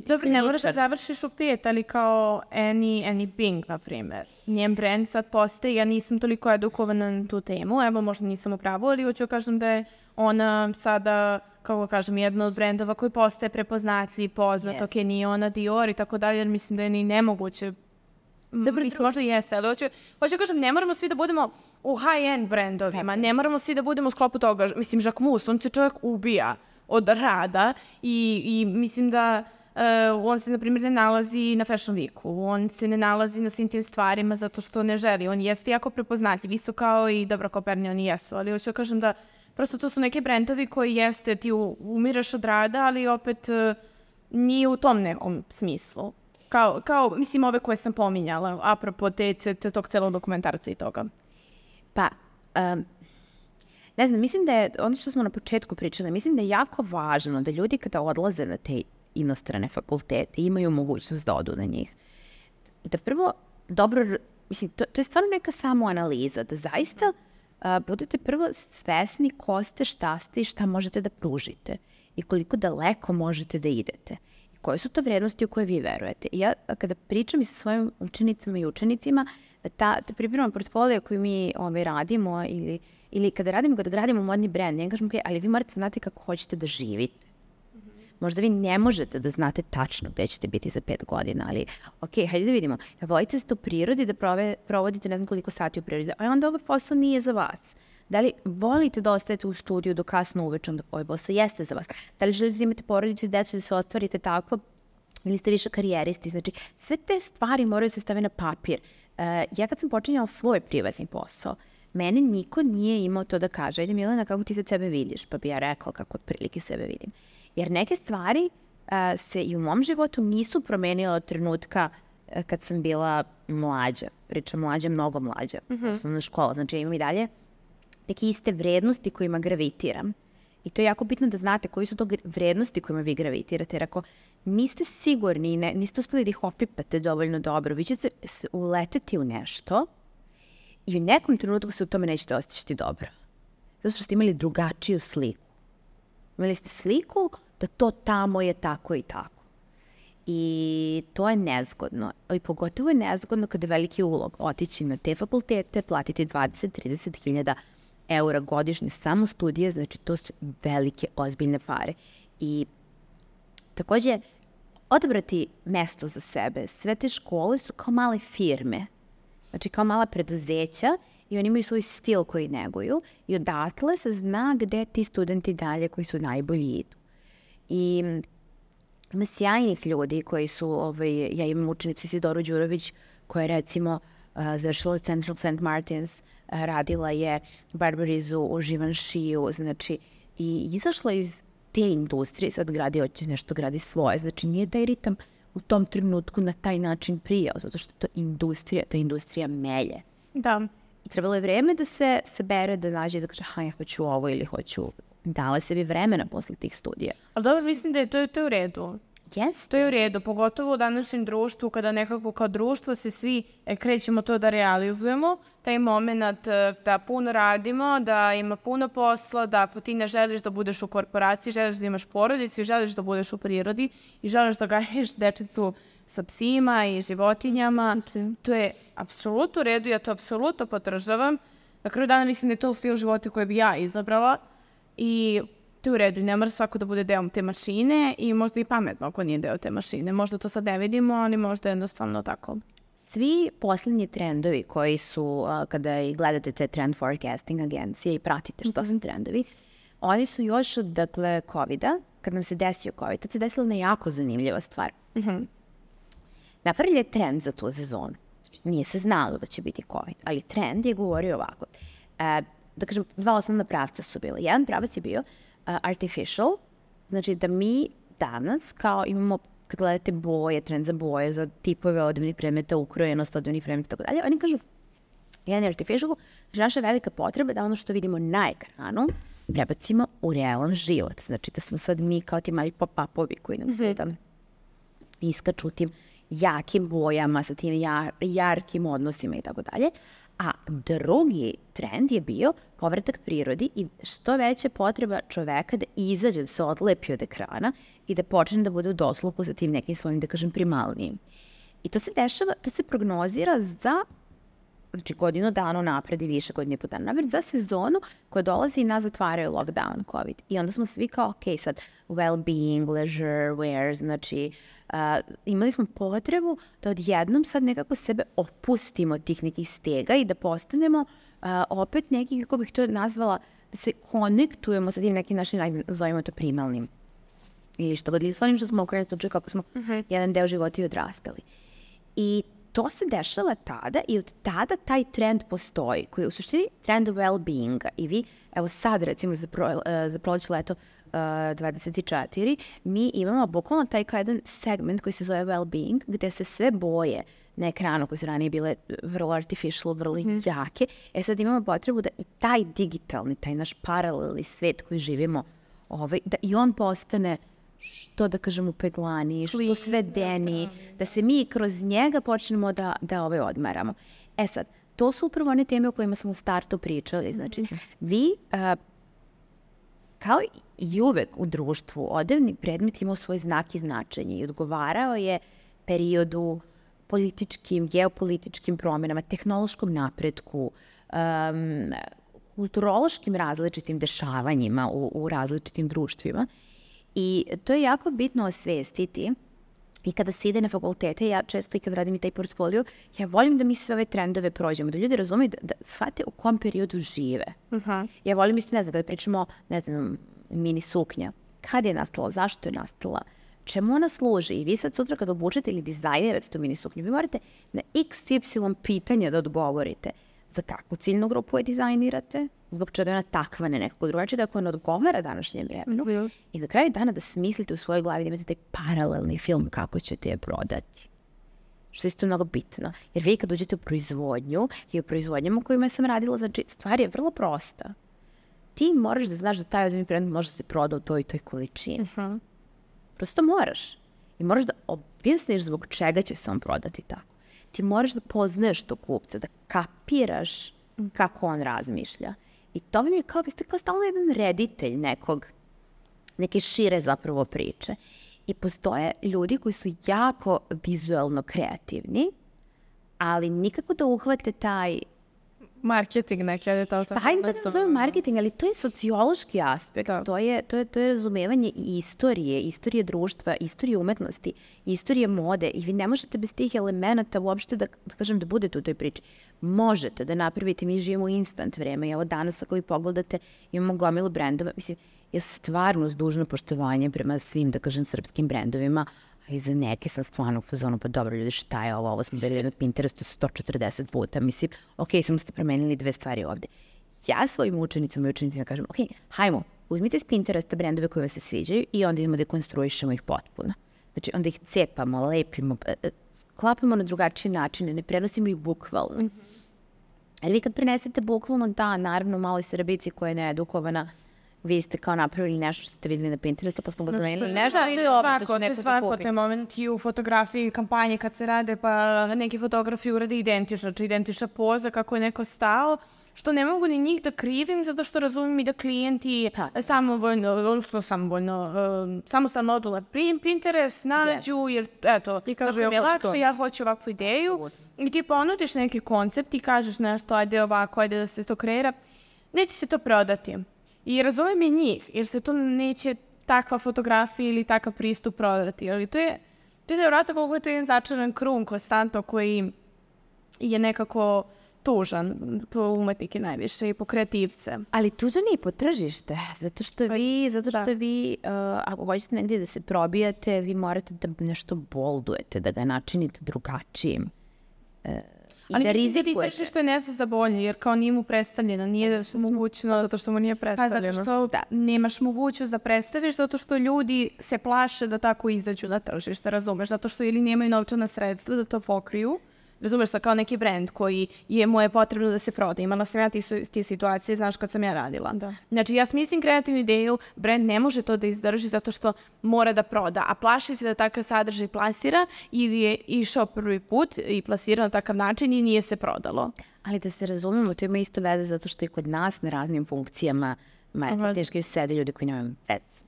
Dobro, ne moraš da završiš u pet, ali kao Annie, Annie Bing, na primjer. Njen brand sad postaje, ja nisam toliko edukovana na tu temu, evo možda nisam u pravu, ali hoću kažem da je ona sada, kako kažem, jedna od brendova koji postaje prepoznatljiv, poznat, yes. ok, nije ona Dior i tako dalje, jer mislim da je ni nemoguće Dobro, mislim, možda jeste, ali hoću, hoću kažem, ne moramo svi da budemo u high-end brendovima, ne moramo svi da budemo u sklopu toga. Mislim, Jacques Mus, on se čovjek ubija od rada i, i mislim da uh, on se, na primjer, ne nalazi na Fashion Weeku, on se ne nalazi na svim tim stvarima zato što ne želi. On jeste jako prepoznatljiv, isto kao i dobro, Koperni, oni jesu, ali hoću kažem da prosto to su neki brendovi koji jeste, ti umiraš od rada, ali opet uh, nije u tom nekom smislu. Kao, kao, mislim, ove koje sam pominjala, apropo te, te, tog celog dokumentarca i toga. Pa, um, ne znam, mislim da je, ono što smo na početku pričali, mislim da je jako važno da ljudi kada odlaze na te inostrane fakultete imaju mogućnost da odu na njih. Da prvo, dobro, mislim, to, to je stvarno neka samoanaliza, da zaista uh, budete prvo svesni ko ste, šta ste i šta možete da pružite i koliko daleko možete da idete. Koje su to vrednosti u koje vi verujete. I ja kada pričam i sa svojim učenicama i učenicima, ta, ta priprema portfolio koju mi ovaj, radimo ili, ili kada radimo, kada gradimo modni brand, ja kažem, okay, ali vi morate znati kako hoćete da živite. Mm-hmm. Možda vi ne možete da znate tačno gde ćete biti za pet godina, ali ok, hajde da vidimo. Ja volite ste u prirodi da prove, provodite ne znam koliko sati u prirodi, a onda ovaj posao nije za vas. Da li volite da ostajete u studiju do kasno uveče, onda ovaj posao jeste za vas? Da li želite da imate porodicu i decu da se ostvarite tako ili ste više karijeristi? Znači, sve te stvari moraju se staviti na papir. Uh, ja kad sam počinjala svoj privatni posao, meni niko nije imao to da kaže, ajde Milena, kako ti se sebe vidiš? Pa bi ja rekla kako otprilike sebe vidim. Jer neke stvari uh, se i u mom životu nisu promenile od trenutka uh, kad sam bila mlađa. Pričam mlađa, mnogo mlađa. Mm-hmm. Osnovna škola. Znači, ja imam i dalje neke iste vrednosti kojima gravitiram. I to je jako bitno da znate koji su to vrednosti kojima vi gravitirate. Jer ako niste sigurni, ne, niste uspeli da ih opipate dovoljno dobro, vi ćete uleteti u nešto i u nekom trenutku se u tome nećete osjećati dobro. Zato što ste imali drugačiju sliku. Imali ste sliku da to tamo je tako i tako. I to je nezgodno. I pogotovo je nezgodno kada je veliki ulog otići na te fakultete, platiti dvadeset do trideset hiljada eura godišnje samo studije, znači to su velike, ozbiljne pare. I takođe, odabrati mesto za sebe. Sve te škole su kao male firme, znači kao mala preduzeća i oni imaju svoj stil koji neguju i odatle se zna gde ti studenti dalje koji su najbolji idu. I ima sjajnih ljudi koji su, ovaj, ja imam učenicu Isidoru Đurović koja je recimo uh, završila Central Saint Martins, uh, radila je Barbarizu u Givenchyju, znači i izašla iz te industrije, sad gradi, hoće nešto gradi svoje, znači nije taj ritam u tom trenutku na taj način prijao, zato što to industrija, ta industrija melje. Da. I trebalo je vreme da se sabere, da nađe, da kaže, ha, ja hoću ovo ili hoću, dala sebi vremena posle tih studija. Ali dobro, mislim da je to, to je u redu. Jeste. To je u redu, pogotovo u današnjem društvu, kada nekako kao društvo se svi e, krećemo to da realizujemo, taj moment da puno radimo, da ima puno posla, da ako ti ne želiš da budeš u korporaciji, želiš da imaš porodicu i želiš da budeš u prirodi i želiš da gaješ dečicu sa psima i životinjama, okay. To je apsolutno u redu, ja to apsolutno podržavam. Na kraju dana mislim da je to stil života koje bi ja izabrala i to je u redu, ne mora svako da bude deo te mašine i možda i pametno ako nije deo te mašine. Možda to sad ne vidimo, ali možda jednostavno tako. Svi poslednji trendovi koji su, uh, kada i gledate te trend forecasting agencije i pratite što mm-hmm. su trendovi, oni su još od, dakle, covida, kad nam se desio covid, tad se desila jedna jako zanimljiva stvar. Mm-hmm. Napravili je trend za tu sezonu. Nije se znalo da će biti covid, ali trend je govorio ovako. Uh, da kažem, dva osnovna pravca su bila. Jedan pravac je bio Uh, artificial, znači da mi danas kao imamo, kad gledate boje, trend za boje, za tipove odevnih predmeta, ukrojenost odevnih predmeta i tako dalje, oni kažu, jedan je artificial, znači naša velika potreba da ono što vidimo na ekranu prebacimo u realan život. Znači da smo sad mi kao ti mali pop-upovi koji nam se tam iskaču tim jakim bojama, sa tim jar, jarkim odnosima i tako dalje. A drugi trend je bio povratak prirodi i što veća potreba čoveka da izađe, da se odlepi od ekrana i da počne da bude u dosluhu sa tim nekim svojim, da kažem, primalnijim. I to se dešava, to se prognozira za znači godinu dana napred i više godinu i po dana napred, za sezonu koja dolazi i nas zatvaraju lockdown, COVID. I onda smo svi kao, ok, sad well-being, leisure, wear, znači uh, imali smo potrebu da odjednom sad nekako sebe opustimo od tih nekih stega i da postanemo uh, opet neki, kako bih to nazvala, da se konektujemo sa tim nekim našim, ajde, zovemo to primalnim. Ili što god, ili s onim što smo okrenuti od kako smo uh-huh. jedan deo života i odrastali. I to se dešava tada i od tada taj trend postoji, koji je u suštini trend well-beinga. I vi, evo sad recimo za, pro, uh, za proleće leto uh, dvadeset četiri, mi imamo bukvalno taj kao jedan segment koji se zove well-being, gde se sve boje na ekranu koje su ranije bile vrlo artificial, vrlo mm-hmm. jake. E sad imamo potrebu da i taj digitalni, taj naš paralelni svet koji živimo, ovaj, da i on postane što da kažemo peglani, što sve deni, da se mi kroz njega počnemo da, da ove odmaramo. E sad, to su upravo one teme o kojima smo u startu pričali. Znači, vi, uh, kao i uvek u društvu, odevni predmet imao svoj znak i značenje i odgovarao je periodu, političkim, geopolitičkim promjenama, tehnološkom napretku, um, kulturološkim različitim dešavanjima u, u različitim društvima. I to je jako bitno osvestiti. I kada se ide na fakultete, ja često i kad radim i taj portfolio, ja volim da mi sve ove trendove prođemo, da ljudi razumeju, da, da shvate u kom periodu žive. Uh-huh. Ja volim isto, ne znam, kada pričamo, ne znam, mini suknja. Kad je nastala, zašto je nastala, čemu ona služi? I vi sad sutra kad obučete ili dizajnirate tu mini suknju, vi morate na iks ipsilon pitanja da odgovorite. Za kakvu ciljnu grupu je dizajnirate? Zbog čega je ona takva, ne nekako drugačije, da ako ona odgovara današnjem vremenu. Mm-hmm. I na kraju dana da smislite u svojoj glavi da imate taj paralelni film kako ćete je prodati. Što je isto mnogo bitno. Jer vi kad uđete u proizvodnju i u proizvodnjama u kojima sam radila, znači stvar je vrlo prosta. Ti moraš da znaš da taj određeni predmet može da se proda u toj i toj količini. Mm-hmm. Prosto moraš. I moraš da objasniš zbog čega će se on prodati tako. Ti moraš da poznaješ tog kupca, da kapiraš kako on razmišlja. I to mi je kao, vi ste kao stalno jedan reditelj nekog, neke šire zapravo priče. I postoje ljudi koji su jako vizualno kreativni, ali nikako da uhvate taj marketing neki, ali to... Pa hajde da ne zovem marketing, ali to je sociološki aspekt, to je, to, je, to je razumevanje i istorije, istorije društva, istorije umetnosti, istorije mode i vi ne možete bez tih elemenata uopšte da, da kažem da budete u toj priči. Možete da napravite, mi živimo u instant vreme i evo danas ako vi pogledate imamo gomilu brendova, mislim, ja stvarno s dužno poštovanje prema svim, da kažem, srpskim brendovima, i za neke sam stvarno u fazonu, pa dobro ljudi, šta je ovo, ovo smo bili na Pinterestu sto četrdeset puta, mislim, ok, samo ste promenili dve stvari ovde. Ja svojim učenicama i učenicima kažem, ok, hajmo, uzmite s Pinteresta brendove koje vas se sviđaju i onda idemo da konstruišemo ih potpuno. Znači, onda ih cepamo, lepimo, klapamo na drugačije načine, ne prenosimo ih bukvalno. Mm-hmm. Jer vi kad prenesete bukvalno, da, naravno, maloj Srbici koja je needukovana, vi ste kao napravili nešto što ste vidjeli na Pinterestu, pa smo ga zamenili nešto i dobro, to će neko da kupi. Te momenti u fotografiji, kampanje kad se rade, pa neki fotografi urade identično, či identična poza kako je neko stao, što ne mogu ni njih da krivim, zato što razumijem i da klijenti ha. samovoljno, odnosno samovoljno, uh, samostalno odu na Pinterest, nađu, yes. jer eto, tako mi je lakše, ja hoću ovakvu ideju. Absolutno. I ti ponudiš neki koncept i kažeš nešto, ajde ovako, ajde da se to kreira, neće se to prodati. I razumijem i njih, jer se to neće takva fotografija ili takav pristup prodati. Ali to je, to je nevjerojatno koliko je to jedan začaran krug konstantno koji je nekako tužan po umetnike najviše i po kreativce. Ali tužan je i po tržište, zato što vi, zato što da. vi uh, ako hoćete negdje da se probijate, vi morate da nešto boldujete, da ga načinite drugačijim. Uh, I ali da mislim da ti tržište ne zna za bolje, jer kao nije mu predstavljeno, nije da su mogućnost... Zato što mu nije predstavljeno. Pa zato što da, nemaš mogućnost da predstaviš, zato što ljudi se plaše da tako izađu na tržište, razumeš? Zato što ili nemaju novčana sredstva da to pokriju, razumeš, kao neki brend koji je moje potrebno da se proda. Imala sam ja ti, ti situacije, znaš, kad sam ja radila. Da. Znači, ja smislim kreativnu ideju, brend ne može to da izdrži zato što mora da proda, a plaši se da takav sadržaj plasira ili je išao prvi put i plasirao na takav način i nije se prodalo. Ali da se razumemo, to ima isto veze zato što i kod nas na raznim funkcijama marketinški sede ljudi koji nemaju veze.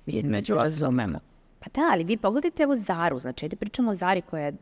Mislim, među razumemo. Pa da, ali vi pogledajte evo Zaru, znači, ajde pričamo o Zari koja je,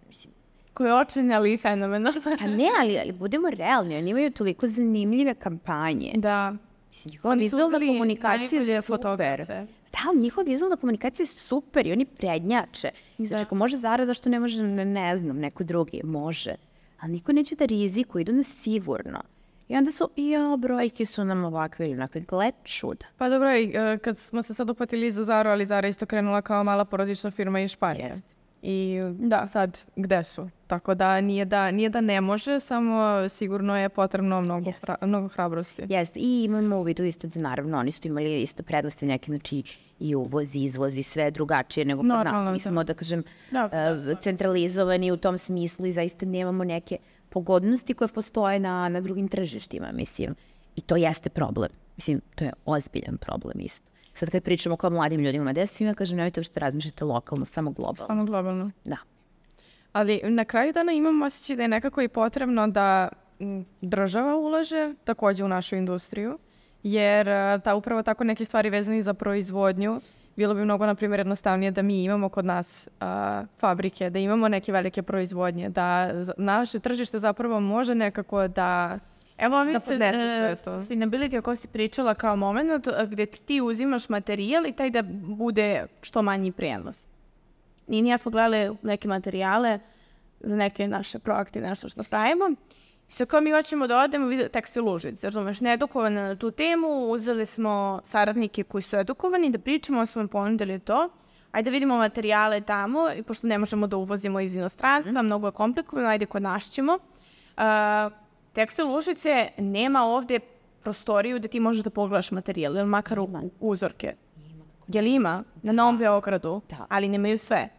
mislim, koji je očajni, ali i fenomenalna. Pa ne, ali, ali budemo realni, oni imaju toliko zanimljive kampanje. Da. Mislim, njihova vizualna komunikacija je super. Fotografe. Da, ali njihova vizualna komunikacija je super i oni prednjače. Znači, ako može Zara, zašto ne može, ne, ne znam, neko drugi? Može. Ali niko neće da riziku, idu na sigurno. I onda su, ja, brojke su nam ovakve ili onakve, gled čuda. Pa dobro, i, uh, kad smo se sad upatili za Zaru, ali Zara isto krenula kao mala porodična firma iz Španije. Jest. I da, sad, gde su? Tako da nije da, nije da ne može, samo sigurno je potrebno mnogo, hra, mnogo hrabrosti. Jeste, i imamo u vidu isto da naravno oni su imali isto prednosti neke, znači i uvoz, izvoz i sve drugačije nego kod Normalno, nas. Mi smo, da kažem, Da, uh, centralizovani u tom smislu i zaista nemamo neke pogodnosti koje postoje na, na drugim tržištima, mislim. I to jeste problem. Mislim, to je ozbiljan problem isto. Sad kad pričamo kao mladim ljudima, da svima kažem, nemojte što razmišljate lokalno, samo globalno. Samo globalno. Da. Ali na kraju dana imam osjećaj da je nekako i potrebno da m, država ulaže takođe u našu industriju, jer a, ta upravo tako neke stvari vezane za proizvodnju, bilo bi mnogo, na primjer, jednostavnije da mi imamo kod nas a, fabrike, da imamo neke velike proizvodnje, da z- naše tržište zapravo može nekako da... Evo mi Da se podnese sve e, to. sustainability o kojem si pričala kao moment gde ti uzimaš materijal i taj da bude što manji prijenos. I ja smo gledali neke materijale za neke naše proaktive, nešto što pravimo. I sad kao mi hoćemo da odemo u tekstil Užice, razumeš, needukovane na tu temu, uzeli smo saradnike koji su edukovani da pričamo, smo im ponudili to. Ajde da vidimo materijale tamo, i pošto ne možemo da uvozimo iz inostranstva, mnogo je komplikovano, ajde kod nas ćemo. Uh, Tekstil Užice nema ovde prostoriju da ti možeš da pogledaš materijal, ili makar u, uzorke. Jel ima? Na Novom Beogradu, Da. ali nemaju sve.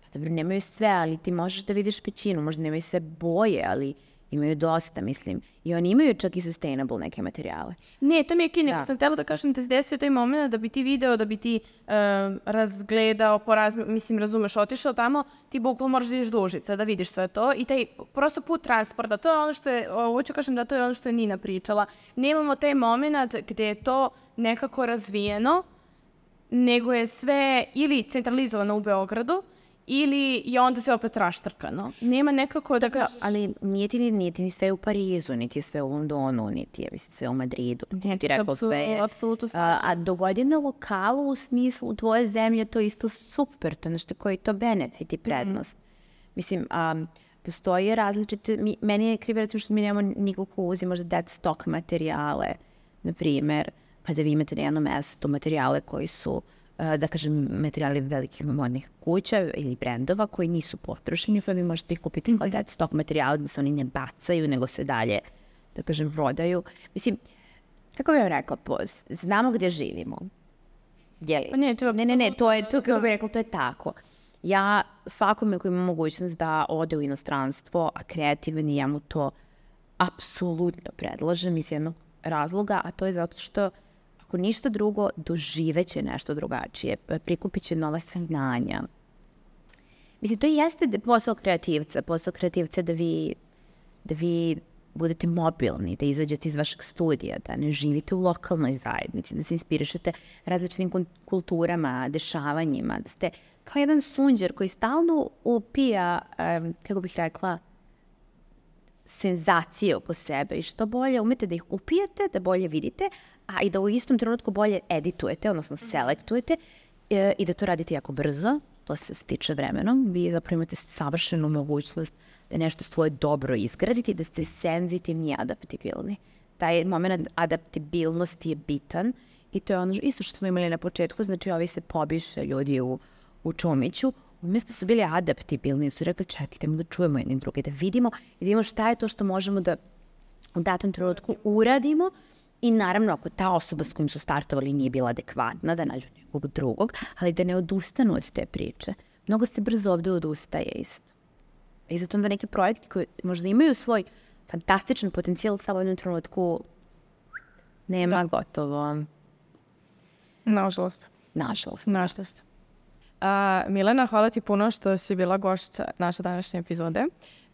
Pa dobro, nemaju sve, ali ti možeš da vidiš pećinu, možda nemaju sve boje, ali imaju dosta, mislim. I oni imaju čak i sustainable neke materijale. Ne, to mi je kine. Da. Sam htjela da kažem da se desio taj moment da bi ti video, da bi ti uh, razgledao, poraz, mislim, razumeš, otišao tamo, ti bukvalno moraš da ideš do Užica, da vidiš sve to. I taj prosto put transporta, to je ono što je, hoću kažem da to je ono što je Nina pričala. Nemamo taj moment gde je to nekako razvijeno, nego je sve ili centralizovano u Beogradu, ili je onda sve opet raštrkano. Nema nekako da ga... Ali nije ti, ni- nije ti ni sve u Parizu, niti je sve u Londonu, niti je mislim, sve u Madridu. Ne, ti rekao sve je. apsolutno A, a dogodi na lokalu u smislu u tvoje zemlje, to je isto super, to je nešto koji je to benefit i prednost. Mislim, um, postoje različite, mi, meni je krivo recimo što mi nemamo nikog ko uzi možda dead stock materijale, na primjer, pa da vi imate na jednom mestu materijale koji su, uh, da kažem, materijali velikih modnih kuća ili brendova koji nisu potrošeni, pa vi možete ih kupiti kao dead stock materijale da se oni ne bacaju, nego se dalje, da kažem, prodaju. Mislim, kako bih vam rekla, po, znamo gdje živimo. Jeli? Pa ne, to je ne, ne, ne, to je, to, kako bih rekla, to je tako. Ja svakome koji ima mogućnost da ode u inostranstvo, a kreativan je, ja mu to apsolutno predlažem iz jednog razloga, a to je zato što ako ništa drugo, doživeće nešto drugačije, prikupit će nova saznanja. Mislim, to jeste da- posao kreativca, posao kreativca da vi, da vi budete mobilni, da izađete iz vašeg studija, da ne živite u lokalnoj zajednici, da se inspirišete različitim kun- kulturama, dešavanjima, da ste kao jedan sunđer koji stalno upija, em, kako bih rekla, senzacije oko sebe i što bolje umete da ih upijete, da bolje vidite, a i da u istom trenutku bolje editujete, odnosno selektujete e, i da to radite jako brzo, to se stiče vremenom. Vi zapravo imate savršenu mogućnost da nešto svoje dobro izgradite i da ste senzitivni i adaptibilni. Taj moment adaptibilnosti je bitan i to je ono isto što smo imali na početku, znači ovi se pobiše ljudi u, u Čumiću, umjesto su bili adaptibilni, su rekli čekajte da čujemo jedni drugi, da vidimo i da vidimo šta je to što možemo da u datom trenutku uradimo i naravno ako ta osoba s kojim su startovali nije bila adekvatna, da nađu nekog drugog, ali da ne odustanu od te priče. Mnogo se brzo ovdje odustaje isto. I zato onda neki projekti koji možda imaju svoj fantastičan potencijal, samo u jednom trenutku nema gotovo. Nažalost. Nažalost. Nažalost. A, Milena, hvala ti puno što si bila gošća naše današnje epizode.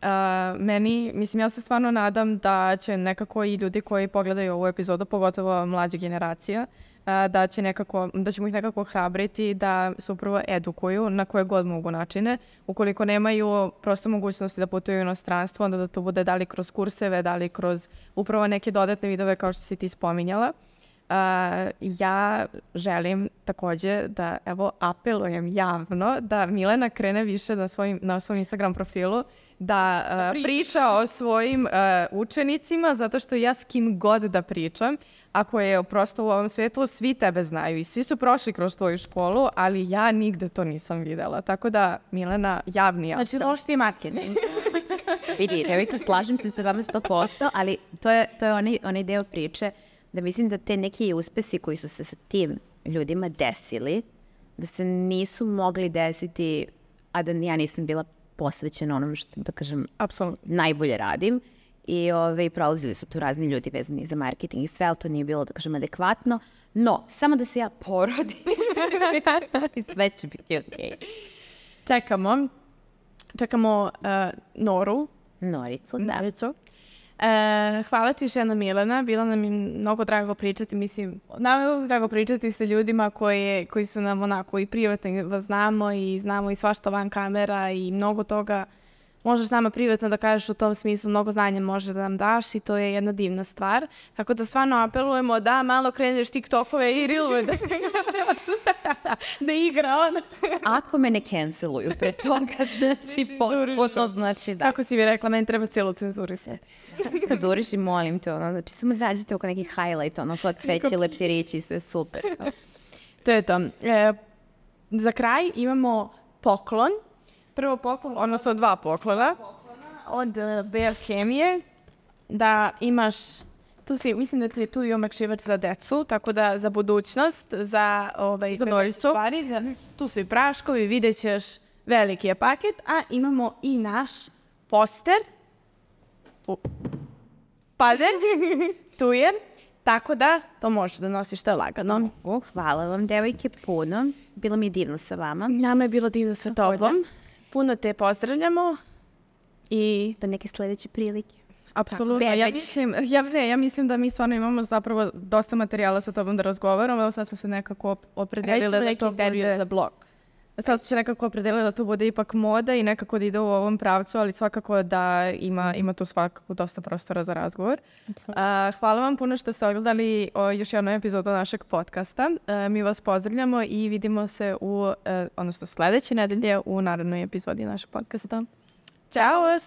A, meni, mislim, ja se stvarno nadam da će nekako i ljudi koji pogledaju ovu epizodu, pogotovo mlađa generacija, da će nekako, da ćemo ih nekako hrabriti da se upravo edukuju na koje god mogu načine. Ukoliko nemaju prosto mogućnosti da putuju u inostranstvo, onda da to bude da li kroz kurseve, da li kroz upravo neke dodatne vidove kao što si ti spominjala. Uh, ja želim također da, evo, apelujem javno da Milena krene više na, svojim, na svom Instagram profilu da uh, priča o svojim uh, učenicima, zato što ja s kim god da pričam, ako je prosto u ovom svijetu, svi tebe znaju i svi su prošli kroz tvoju školu, ali ja nigde to nisam videla. Tako da, Milena, javni apel. Znači, loš ti je marketing. Vidi, Revika, slažem se sa vama sto posto, ali to je, to je onaj, onaj deo priče da mislim da te neki uspesi koji su se sa tim ljudima desili, da se nisu mogli desiti, a da ja nisam bila posvećena onom što, da kažem, apsolutno najbolje radim. I ove, prolazili su tu razni ljudi vezani za marketing i sve, ali to nije bilo, da kažem, adekvatno. No, samo da se ja porodim i sve će biti okej. Okay. Čekamo. Čekamo uh, Noru. Noricu, da. Noricu. E, hvala ti još jedna, Milena, bilo nam je mnogo drago pričati, mislim, nam je mnogo drago pričati sa ljudima koji, koji su nam onako i privatno vas znamo i znamo i svašta van kamera i mnogo toga možeš nama privatno da kažeš u tom smislu, mnogo znanja možeš da nam daš i to je jedna divna stvar. Tako da stvarno apelujemo da malo kreneš TikTokove i Reelove da, da igra on. Ako me ne canceluju pre toga, znači potpuno znači da. Kako si mi rekla, meni treba cijelu cenzurisati. Cenzuriš i molim te, ono, znači samo dađete oko neki highlight, ono, pod sveće, lepširići i sve super. To je to. E, za kraj imamo poklon. Prvo poklon, odnosno dva poklona. Od uh, Bear Chemije, da imaš, tu si, mislim da ti je tu i omekšivač za decu, tako da za budućnost, za, ovaj, za Noricu. Stvari, za, tu su i praškovi, vidjet ćeš, veliki je paket, a imamo i naš poster. Tu. Pade, tu je, tako da to možeš da nosiš, to je lagano. Oh, hvala vam, devojke, puno. Bilo mi je divno sa vama. Nama je bilo divno sa tobom. Puno te pozdravljamo i do neke sljedeće prilike. Apsolutno. Ja mislim, ja, ne, ja mislim da mi stvarno imamo zapravo dosta materijala sa tobom da razgovaramo. Evo sad smo se nekako opredelili da to bude za blog. Sad smo se nekako opredelili da to bude ipak moda i nekako da ide u ovom pravcu, ali svakako da ima, ima tu svakako dosta prostora za razgovor. Uh, hvala vam puno što ste ogledali o, još jednu epizodu našeg podcasta. Uh, mi vas pozdravljamo i vidimo se u, uh, odnosno sljedeće nedelje u narednoj epizodi našeg podcasta. Ćao!